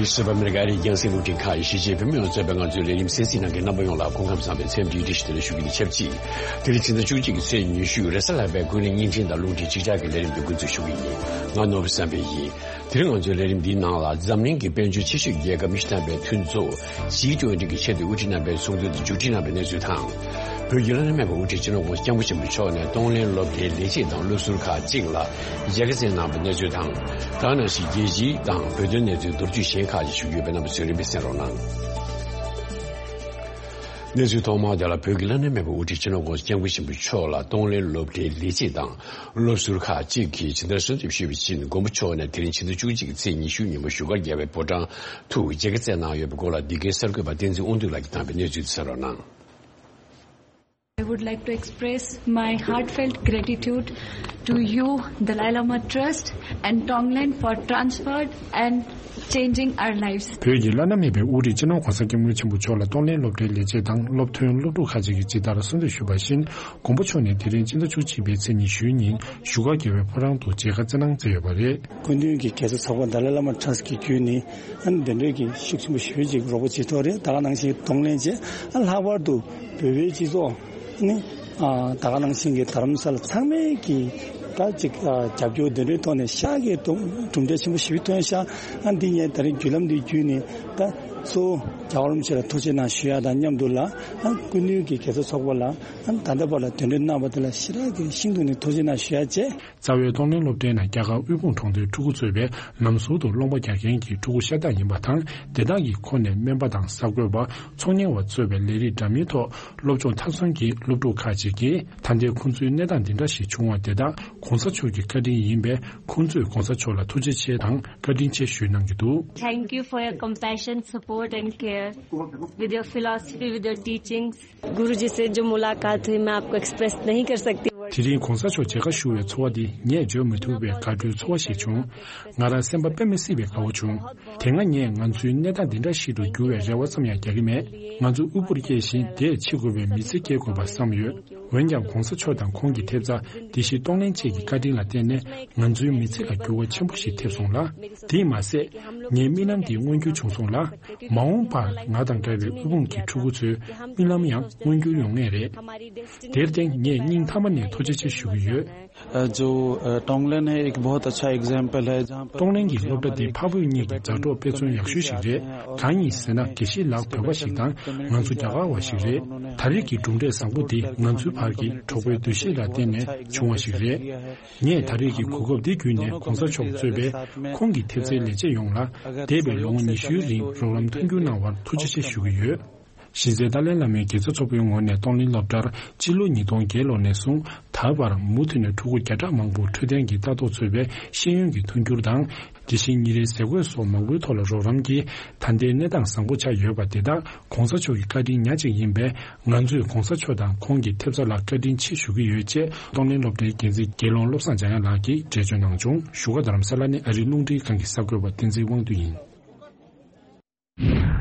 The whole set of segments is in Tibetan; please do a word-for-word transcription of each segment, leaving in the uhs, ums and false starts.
སུ་བྷ་མི་རི་ཀ་ཨ་རིའི་རྒྱང་སྲིང་རླུང་འཕྲིན་ཁང་གི་གཞིས་བྱེས་བོད་མི་ཡོངས་གཙོས་པའི་ང་ཚོའི་ལས་རིམ་གསན་གཟིགས་གནང་མཁན་རྣམ་པ་ཡོངས་ལ་སྐུ་ཁམས་བཟང་བའི་འཚམས་འདྲིའི་བཀྲ་ཤིས་བདེ་ལེགས་ཞུ་གི་ཡིན། ཆབས་ཅིག་དེ་རིང་ཕྱི་ཟླ་བཅུ་གཅིག་གི་ཚེས་ཉི་ཤུ་རེས་གཟའ་ལྷག་པའི་ཀུན་གླེང་བརྙན་འཕྲིན་དང་རླུང་འཕྲིན་ཅིག་ཅར་གྱི་ལས་རིམ་དུ་འགོ་འཛུགས་ཞུ་གི་ཡིན། ང་ནོར་བུ་བསམ་འཕེལ་ཡིན། དེ་རིང་ང་ཚོའི་ལས་རིམ་འདིའི་ནང་ལ་འཛམ་གླིང་གི་དཔལ་འབྱོར་ཆེ་ཤོས་རྒྱལ་ཁབ་ཉི་ཤུ་ཐམ་པའི་མཐུན་ཚོགས་ཇི་ཊུ་ཝེན་ཊི་གི་ཆེས་མཐོའི་དབུ་ཁྲིད་རྣམ་པའི་ཚོགས་འདུ་དེ་མཇུག་སྒྲིལ་གནང་བའི་གནས་ཚུལ་དང་། བོད་ཀྱི་བླ་ན་མེད་པའི་དབུ་ཁྲིད་སྤྱི་ནོར་༧གོང་ས་༧སྐྱབས་མགོན་ཆེན་པོ་མཆོག་ནས་གཏོང་ལེན་སློབ་གྲྭའི་ལས་བྱེད་དང་སློབ་ཟུར་ཁག་ཅིག་ལ་མཇལ་ཁ་བསྩལ་གནང་བའི་གནས་ཚུལ་དང་། ད་ག་ནང་བཞིན་རྒྱལ་སྤྱིའི་དང་བོད་དོན་གནས་ཚུལ་མདོར་བསྡུས་གཞན་ཁག་ཅིག་ཞུ་རྒྱུ་ཡོད་པའི་རྣམ་པ་ཚོས་རིམ་པས་གསན་རོགས་གནང་། གནས་ཚུལ་ཐོག་མར་དེ་ལ། བོད་ཀྱི་བླ་ན་མེད་པའི་དབུ་ཁྲིད་སྤྱི་ནོར་༧གོང་ས་༧སྐྱབས་མགོན་ཆེན་པོ་མཆོག་ལ་གཏོང་ལེན་སློབ་གྲྭའི་ལས་བྱེད་དང་སློབ་ཟུར་ཁག་ཅིག་གིས་ཇི་ལྟར་གསོལ་འདེབས་ཞུས་པ་བཞིན། མགོན་པོ་མཆོག་ནས་དེ་རིང་ཕྱི་ཟླ་བཅུ་གཅིག་གི་ཚེས་ཉི་ཤུའི་ཉིན་མོ་བཞུགས་སྒར་རྒྱལ་བའི་ཕོ་བྲང་དུ་མཇལ་ཁ་བསྩལ་གནང་ཡོད་པའི་སྐོར་ལ། འདི་གའི་གསར་འགོད་པ་བསྟན་འཛིན་དབང་འདུས་ལགས་ཀྱིས་བཏང་བའི་གནས་ཚུལ་དེ་གསན་རོགས་གནང་། I would like to express my heartfelt gratitude to you, Dalai Lama Trust and Tonglen, for transferred and changing our lives. བོད་ཀྱི་བླ་ན་མེད་པའི་དབུ་ཁྲིད་སྤྱི་ནོར་༧གོང་ས་༧སྐྱབས་མགོན་ཆེན་པོ་མཆོག་ལ་གཏོང་ལེན་སློབ་གྲྭའི་ལས་བྱེད་དང་སློབ་ཐོན་སློབ་ཕྲུག་ཁག་ཅིག་གིས་ཇི་ལྟར་གསོལ་འདེབས་ཞུས་པ་བཞིན། མགོན་པོ་མཆོག་ནས་དེ་རིང་ཕྱི་ཟླ་བཅུ་གཅིག་པའི་ཚེས་ཉི་ཤུའི་ཉིན་བཞུགས་སྒར་རྒྱལ་བའི་ཕོ་བྲང་དུ་མཇལ་ཁ་བསྩལ་གནང་མཛད་ཡོད་པ་རེད། སྐུ་མདུན་གྱི་རྒྱལ་ཚབ་ཚོགས་པ་Dalai Lama Trust གི་བརྒྱུད་ནས། ཨ་ནི་དེ་འདྲའི་གི་ཤུགས་ཆེན་པོ་ཞེ་པོ་ཅིག་རོགས་པ་བྱེད་ཐུབ་རེད། ད་ག་ནང་བཞིན་གདོང་ལེན་བྱས། ཨ་ལྷག་པར་དུ་བོད་པའི་སྤྱི་ཚོགས་ནི། ཨ་ད་ག་ནང་བཞིན་གྱི་རྡ་རམ་ས་ལ་ཚང་མས་ཀྱི་ད་ཅིག་ཨ་རྒྱབ་སྐྱོར་དེ་འདྲའི་ཐོག་ནས་ཤག་གི་གྲུབ་འབྲས་ཆེན་པོ་ཞེ་པོ་ཐོན་ཤག་ཨ་འདི་ངས་ད་རིང་བརྒྱུད་ལམ་འདི་བརྒྱུད་ནས་ད་གཙོ་བོ་རྒྱལ་བ་རིན་པོ་ཆེ་ལ་ཐུགས་རྗེ་གནང་ཞུ་ཡ་དང་མཉམ་དུ་ལ། ཨ་སྐུ་མདུན་གྱི་རྒྱལ་ཚབ་ཚོགས་པ་ལ་ཨ་ད་ལྟ་བར་ལ་དེ་འདྲའི་གནང་བ་དེ་ལ་ཞེ་དྲག་གི་ཤིན་ཏུ་ནས་ཐུགས་རྗེ་གནང་ཞུ་ཡ་བྱས། རྩ་བའི་གཏོང་ལེན་སློབ་གྲྭའི་ནང་རྒྱ་གར་དབུལ་ཕོངས་གྲོང་སྡེའི་ཕྲུ་གུ་གཙོས་པའི་ལམ་ཟུར་དུ་སློབ་མ་རྒྱག་མཁན་གྱི་ཕྲུ་གུ་ཤ་སྟག་ཡིན་པ་དང་། དེ་དག་གི་ཁོངས་ནས་སྨན་པ་དང་གསར་འགོད་པ། ཚོང་གཉེར་བ་གཙོས་པའི་ལས་རིགས་འདྲ་མིན་ཐོག་སློབ་སྦྱོང་མཐར་སོན་གྱི་སློབ་ཕྲུག་ཁག་ཅིག་གིས། ད་ལྟའི་ཁོང་ཚོའི་གནས་སྟངས་འདི་འདྲ་ཞིག་བྱུང་བ་དེ་དག་གོང་ས་མཆོག་གི་བཀའ་དྲིན་ཡིན་པས། ཁོང་ཚོས་གོང་ས་མཆོག་ལ་ཐུགས་རྗེ་ཆེ་དང་བཀའ་དྲིན་ཆེ་ཞུས་གནང་གི་འདུག། Thank you for your compassion, support and care, with your philosophy, with your teachings. गुरु जी से जो मुलाकात हुई, मैं आपको एक्सप्रेस नहीं कर सकती वर्ड। དེ་རིང་གོང་ས་མཆོག་མཇལ་ཁ་ཞུ་བའི་ཚོར་བ་འདི་ངས་བརྗོད་མི་ཐུབ་པའི་དགའ་སྤྲོའི་ཚོར་བ་ཞིག་བྱུང་། ང་རང་སེམས་པ་དཔེ་མི་སྲིད་པའི་དགའ་བོ་བྱུང་། དེ་སྔ་ངས་ང་ཚོའི་གནས་སྟངས་འདི་འདྲ་ཞིག་ཏུ་འགྱུར་བའི་རེ་བ་ཙམ་ཡང་རྒྱག་གི་མེད། ང་ཚོ་དབུལ་པོར་སྐྱེས་ཤིང་དེས་འཆི་དགོས་པའི་མི་ཚེ་སྐྱེལ་དགོས་པ་བསམ་ཡོད། འོན་ཀྱང་གོང་ས་མཆོག་དང་ཁོང་གི་ཐེབས་རྩ། དེ་བཞིན་གཏོང་ལེན་བཅས་ཀྱི་བཀའ་དྲིན་ལ་བརྟེན་ནས་ང་ཚོའི་མི་ཚེ་ལ་འགྱུར་བ་ཆེན་པོ་ཞིག་ཐེབས་སོང་ལ། དེས་མ་ཟད། ངའི་རྨི་ལམ་དེ་མངོན་འགྱུར་བྱུང་སོང་ལ། མ་འོངས་པར་ང་དང་འདྲ་བའི་དབུལ་ཕོངས་ཀྱི་ཕྲུ་གུ་ཚོའི་རྨི་ལམ་ཡང་མངོན་འགྱུར་ཡོང་ངེས་རེད། དེར་བརྟེན་ངས་སྙིང་ཐག་པ་ནས་ཐུགས་རྗེ་ཆེ་ཞུ་གི་ཡོད། अ, जो, अ, टोंगलेन है, एक बहुत अच्छा एग्जाम्पल है, जहाँ पर གཏོང་ལེན་གྱི་སློབ་གྲྭ་འདི་འཕགས་བོད་གཉིས་ཀྱི་མཛའ་གྲོགས་དཔེ་མཚོན་ཡག་ཤོས་ཤིག་རེད། གང་ཡིན་ཟེར་ན། དགེ་བཤེས་ལགས་བོད་པ་ཞིག་དང་། ང་ཚོ་རྒྱ་གར་བ་ཞིག་རེད། ད་རེས་ཀྱི་གྲུབ་འབྲས་བཟང་པོ་འདི་ང་ཚོའི་བར་གྱི་གྲོགས་པོའི་འདུ་ཤེས་ལ་བརྟེན་ནས་བྱུང་བ་ཞིག་རེད། ངས་ད་རེས་ཀྱི་གོ་སྐབས་འདི་བརྒྱུད་ནས་གོང་ས་མཆོག་གཙོས་པའི་ཁོང་གི་ཐེབས་རྩའི་ལས་བྱེད་ཡོངས་ལ། འདས་པའི་ལོ་ངོ་ཉི་ཤུའི་རིང་རོགས་རམ་མཐུན་འགྱུར་གནང་བར་ཐུགས་རྗེ་ཆེ་ཞུ་གི་ཡོད། གཞི་རྩའི་ཏཱ་ལའི་བླ་མའི་དགེ་རྩ་ཚོགས་པའི་ངོས་ནས་གཏོང་ལེན་སློབ་གྲྭར་སྤྱི་ལོ་ཉིས་སྟོང་བརྒྱད་ལོ་ནས་བཟུང་ད་བར་མུ་མཐུད་ནས་ཕྲུ་གུ་བརྒྱ་ཕྲག་མང་པོར་འཕྲོད་བསྟེན་གྱི་ལྟ་རྟོག་གཙོས་པའི་ཤེས་ཡོན་གྱི་མཐུན་འགྱུར་དང་། དེ་བཞིན་ཉིན་རེའི་ཟས་གོས་སོགས་མང་པོའི་ཐོག་ལ་རོགས་རམ་གྱིས། ད་ལྟའི་གནས་སྟངས་བཟང་པོ་ཆགས་ཡོད་པ་དེ་དག་གོང་ས་མཆོག་གི་བཀའ་དྲིན་ཉག་གཅིག་ཡིན་པས། ང་ཚོས་གོང་ས་མཆོག་དང་ཁོང་གི་ཐེབས་རྩ་ལ་བཀའ་དྲིན་ཆེ་ཞུ་གི་ཡོད་ཅེས་གཏོང་ལེན་སློབ་གྲྭའི་འགན་འཛིན་དགེ་སློང་བློ་བཟང་འཇམ་དབྱངས་ལགས་ཀྱིས་འགྲེལ་བརྗོད་གནང་བྱུང་། བཞུགས་སྒར་རྡ་རམ་ས་ལ་ནས་ཨ་རིའི་རླུང་འཕྲིན་ཁང་གི་གསར་འགོད་པ་བསྟན་འཛིན་དབང་འདུས་ཡིན།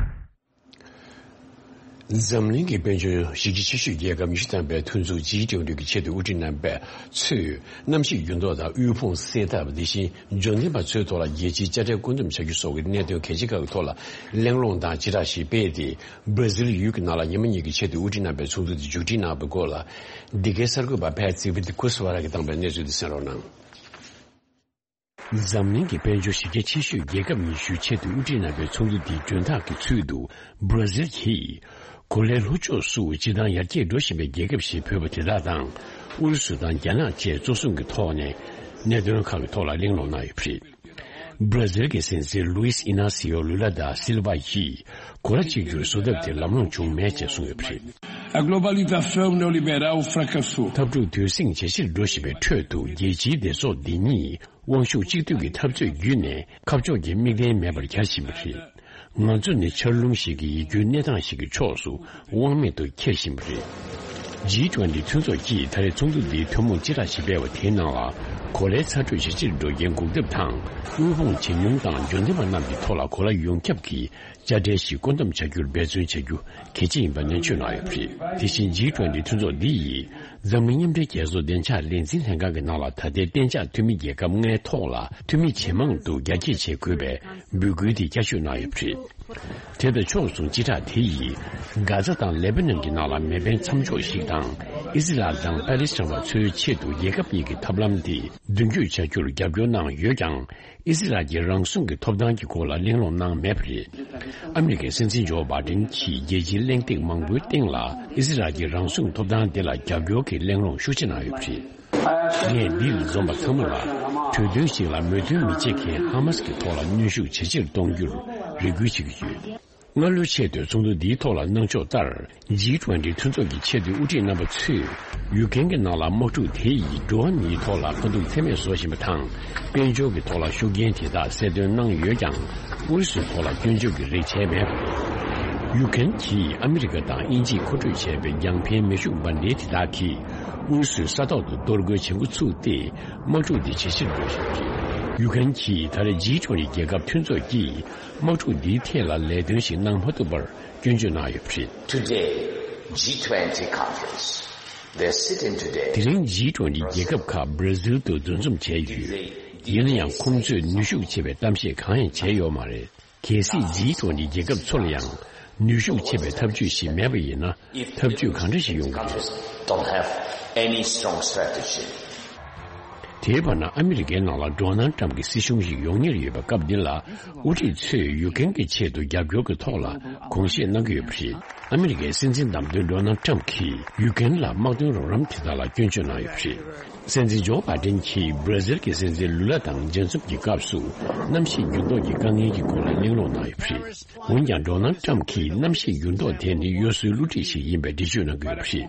འཛམ་གླིང་གི་དཔལ་འབྱོར་གཞི་རྒྱ་ཆེ་ཤོས་རྒྱལ་ཁབ་ཉི་ཤུ་ཐམ་པའི་མཐུན་ཚོགས་ཇི་ཊུ་ཝེན་ཊི་གི་ཆེས་མཐོའི་དབུ་ཁྲིད་རྣམ་པ་ཚོས་གནམ་གཤིས་འགྱུར་ལྡོག་དང་དབུལ་ཕོངས་སེལ་ཐབས། དེ་བཞིན་འབྱོར་ལྡན་པ་ཚོའི་ཐོག་ལ་རྒྱལ་སྤྱིའི་དཔྱ་ཁྲལ་བཀོད་འདོམས་བྱ་རྒྱུ་སོགས་ཀྱི་གནད་དོན་གལ་ཆེ་ཁག་གི་ཐོག་ལ་གླེང་སློང་དང་ཅི་རག་ཞིག་སྤེལ་ཏེ། སྦྲ་ཟིལ་ཡུལ་གྱི་ནང་ལ་ཉི་མ་གཉིས་ཀྱི་ཆེས་མཐོའི་དབུ་ཁྲིད་རྣམ་པའི་ཚོགས་འདུ་དེ་མཇུག་སྒྲིལ་གནང་བའི་སྐོར་ལ། འདི་གའི་གསར་འགོད་པ་ཕལ་ཙི་བི་ཏི་ཀུ་སི་ཝ་ར་གིས་བཏང་པའི་གནས་ཚུལ་དེ་གསན་རོགས་གནང་། འཛམ་གླིང་གི་དཔལ་འབྱོར་གཞི་རྒྱ་ཆེ་ཤོས་རྒྱལ་ཁབ་ཉི་ཤུའི་ཆེས་མཐོའི་དབུ་ཁྲིད་རྣམ་པའི་ཚོགས་འདུ་འདིའི་མགྲོན་བདག་གི་ཚུལ་དུ། སྦྲ་ཟིལ་གྱིས་གོ་ལའི་ལྷོ་ཕྱོགས་སུ་སྤྱིར་བཏང་ཡར་རྒྱས་འགྲོ་བཞིན་པའི་རྒྱལ་ཁབ་ཞེས་འབོད་པ་དེ་དག་དང་། ཨུ་རུ་སུ་དང་རྒྱ་ནག་བཅས་གཙོ་བཟུང་གི་ཐོག་ནས་གནད་དོན་ཁག་གི་ཐོག་ལ་གླེང་སློང་གནང་ཡོད་པ་རེད། སྦྲ་ཟིལ་གྱི་སྲིད་འཛིན་ལུའིས་ཨི་ན་སི་ཡོ་ལུ་ལ་ད་སིལ་ཝ་ཡིས། གོ་ལ་གཅིག་གྱུར་བཟོ་ཐབས་དེ་ལམ་ལྷོང་བྱུང་མེད་ཅེས་གསུངས་ཡོད་པ་རེད། A globalização neoliberal fracassou. འཐབ་འཁྲུག་དུས་ཟིང་ཇེ་ཆེར་འགྲོ་བཞིན་པའི་ཁྲོད་དུ། རྒྱལ་སྤྱིའི་སྡེ་ཚོགས་འདི་ཉིད་དབང་ཤུགས་གཅིག་སྡུད་ཀྱི་འཐབ་རྩོད་བརྒྱུད་ནས་ཁ་ཕྱོགས་ཀྱི་དམིགས་རྟེན་མེད་པར་གྱར་བཞིན་པ་རེད། ང་ཚོ་ནི་ཆར་རླུང་ཞིག་གིས་ཡིད་སྐྱོའི་གནས་སྟངས་ཤིག་གི་ཕྱོགས་སུ་དབང་མེད་དུ་འཁྱེར་བཞིན་པ་རེད། ཇི་ཊུ་ཝེན་ཊི་མཐུན་ཚོགས་ཀྱིས་ད་རེས་ཚོགས་འདུ་འདིའི་ཐུན་མོང་སྤྱི་བསྒྲགས་ཤིག་སྤེལ་བ་དེའི་ནང་ལ། གོ་ལའི་ཚ་དྲོད་ཇེ་ཆེར་འགྲོ་རྐྱེན་འགོག་ཐབས་དང་། དབུལ་ཕོངས་ཇེ་ཉུང་དང་འབྱོར་ལྡན་པ་རྣམས་ཀྱི་ཐོག་ལ་གོ་ལ་ཡོངས་ཁྱབ་ཀྱི་དཔྱ་ཁྲལ་ཞིག་བཀོད་འདོམས་བྱ་རྒྱུར་འབད་བརྩོན་བྱ་རྒྱུ་གལ་ཆེ་ཡིན་པ་ནན་བརྗོད་གནང་ཡོད་པ་རེད། དེ་བཞིན་ཇི་ཊུ་ཝེན་ཊི་མཐུན་ཚོགས་འདི་ཡིས་འཛམ་གླིང་མཉམ་འབྲེལ་རྒྱལ་ཚོགས་བདེ་འཇགས་ལས་འཛིན་ལྷན་ཁང་གི་ནང་ལ་ད་ལྟའི་གཏན་འཇགས་འཐུས་མི་རྒྱལ་ཁབ་ལྔའི་ཐོག་ལ་འཐུས་མི་ཇེ་མང་དུ་རྒྱ་སྐྱེད་བྱེད་དགོས་པའི་འབོད་སྐུལ་དེ་བསྐྱར་ཞུ་གནང་ཡོད་པ་རེད། དེ་དང་ཕྱོགས་མཚུངས་སྤྱི་བསྒྲགས་དེ་ཡིས་གྷ་ཛ་དང་ལེ་པ་ནན་གྱི་ནང་ལ་མེ་འཕེན་མཚམས་འཇོག་ཞིག་དང་། ཨི་སི་རལ་དང་པ་ལི་སི་ཐན་པ་ཚོའི་ཆེད་དུ་རྒྱལ་ཁབ་གཉིས་ཀྱི་ཐབས་ལམ་དེ་མདུན་སྐྱོད་བྱ་རྒྱུར་རྒྱབ་སྐྱོར་གནང་ཡོད་ཀྱང་། ཨི་སི་རལ་གྱི་རང་སྲུང་གི་ཐོབ་ཐང་གི་སྐོར་ལ་གླེང་སློང་གནང་མེད་པ་རེད། ཨ་མི་རི་ཀའི་སྲིད་འཛིན་ཇོ་བྷ་ཌེན་གྱིས་རྒྱལ་སྤྱིའི་གླེང་སྟེགས་མང་པོའི་སྟེང་ལ་ཨི་སི་རལ་གྱི་རང་སྲུང་ཐོབ་ཐང་དེ་ལ་རྒྱབ་སྐྱོར་གྱི་གླེང་སློང་ཤུགས་ཆེ་གནང་ཡོད་པ་རེད། ངས་འདིར་འཛོམས་པ་ཚང་མ་ལ་གྲོས་མཐུན་ཞིག་ལ་མོས་མཐུན་མི་བྱེད་མཁན་ཧ་མ་སི་གི་ཐོག་ལ་གནོན་ཤུགས་ཇེ་ཆེར་གཏོང་རྒྱུར་རེ་སྐུལ་བྱེད་ཀྱི་ཡོད། སྔ་ལོའི་ཆེས་མཐོའི་ཚོགས་འདུ་འདིའི་ཐོག་ལ་གནང་ཕྱོགས་ལྟར། ཇི་ཊུ་ཝེན་ཊི་མཐུན་ཚོགས་ཀྱི་ཆེས་མཐོའི་དབུ་ཁྲིད་རྣམ་པ་ཚོས་ཡུཀ་རེན་གྱི་ནང་ལ་དམག་འཁྲུག་དེ་ཡིས་འགྲོ་བ་མིའི་ཐོག་ལ་དཀའ་སྡུག་ཚད་མེད་བཟོ་བཞིན་པ་དང་། དཔལ་འབྱོར་གྱི་ཐོག་ལ་ཤུགས་རྐྱེན་དེ་དག་གསལ་སྟོན་གནང་ཡོད་ཀྱང་། ཨུ་རུ་སུའི་ཐོག་ལ་སྐྱོན་བརྗོད་ཀྱི་རེ་བྱས་མེད་པ་རེད། ཡུཀ་རེན་གྱིས་ཨ་མི་རི་ཀ་དང་དབྱིན་ཇིས་མཁོ་སྤྲོད་བྱས་པའི་རྒྱང་འཕེན་མེ་ཤུགས་འབར་མདེལ་དེ་དག་གིས་ཨུ་རུ་སུའི་ས་ཐོག་ཏུ་གཏོར་རྒོལ་བྱེད་འགོ་ཚུགས་ཏེ། དམག་འཁྲུག་འདི་ཇེ་ཆེར་འགྲོ་བཞིན་ཡོད། ཡུཀ་རེན་གྱིས་ད་རེས་ཇི་ཊུ་ཝེན་ཊི་རྒྱལ་ཁབ་མཐུན་ཚོགས་ཀྱིས་དམག་འཁྲུག་འདིའི་ཐད་ལ་ལས་དོན་ཞིག་གནང་མ་ཐུབ་པར་སྐྱོན་བརྗོད་གནང་ཡོད་པ་རེད། Today, G twenty conference. They're sitting today. དེ་རིང་ཇི་ཊུ་ཝེན་ཊི་རྒྱལ་ཁབ་ཁག་བྷ་ར་ཟིལ་དུ་འདུ་འཛོམས་བྱས་ཡོད། ཡིན་ན་ཡང་ཁོང་ཚོས་ནུས་ཤུགས་ཆེ་བའི་གཏམ་བཤད་གང་ཡང་བྱས་ཡོད་མ་རེད། གལ་སྲིད་ཇི་ཊུ་ཝེན་ཊི་རྒྱལ་ཁབ་ཚོ་ལ་ཡང་ནུས་ཤུགས་ཆེ་བའི་ཐབས་ཇུས་ཤིག་མེད་པ་ཡིན་ན། ཐབས་ཇུས་གང་འདྲ་ཞིག་ཡོང་གི་རེད། Countries don't have any strong strategy. དེའི་བར་ན་ཨ་མི་རི་ཀའི་ནང་ལ་ཌོ་ནལ་ཊམ་གྱི་སྲིད་གཞུང་ཞིག་ཡོང་ཉེར་ཡོད་པའི་སྐབས་འདི་ལ། དབུ་ཁྲིད་ཚོས་ཡུཀ་རེན་གྱི་ཆེད་དུ་རྒྱབ་སྐྱོར་གྱི་ཐོག་ལ་དགོངས་བཞེས་གནང་གི་ཡོད་པ་རེད། ཨ་མི་རི་ཀའི་སྲིད་འཛིན་བདམས་ཐོན་ཌོ་ནལ་ཊམ་གྱིས་ཡུཀ་རེན་ལ་དམག་དོན་རོགས་རམ་དེ་དག་ལ་སྐྱོན་བརྗོད་གནང་ཡོད་པ་རེད། སྲིད་འཛིན་ཇོ་བྷ་ཌེན་གྱིས་བྷ་ར་ཟིལ་གྱི་སྲིད་འཛིན་ལུ་ལ་དང་མཇལ་འཛོམས་ཀྱི་སྐབས་སུ་གནམ་གཤིས་འགྱུར་ལྡོག་གི་དཀའ་ངལ་གྱི་སྐོར་ལ་གླེང་སློང་གནང་ཡོད་པ་རེད། འོན་ཀྱང་ཌོ་ནལ་ཊམ་གྱིས་གནམ་གཤིས་འགྱུར་ལྡོག་དེ་ནི་གཡོ་ཟོལ་བསླུ་བྲིད་ཞིག་ཡིན་པའི་འགྲེལ་བརྗོད་གནང་གི་ཡོད་པ་རེད།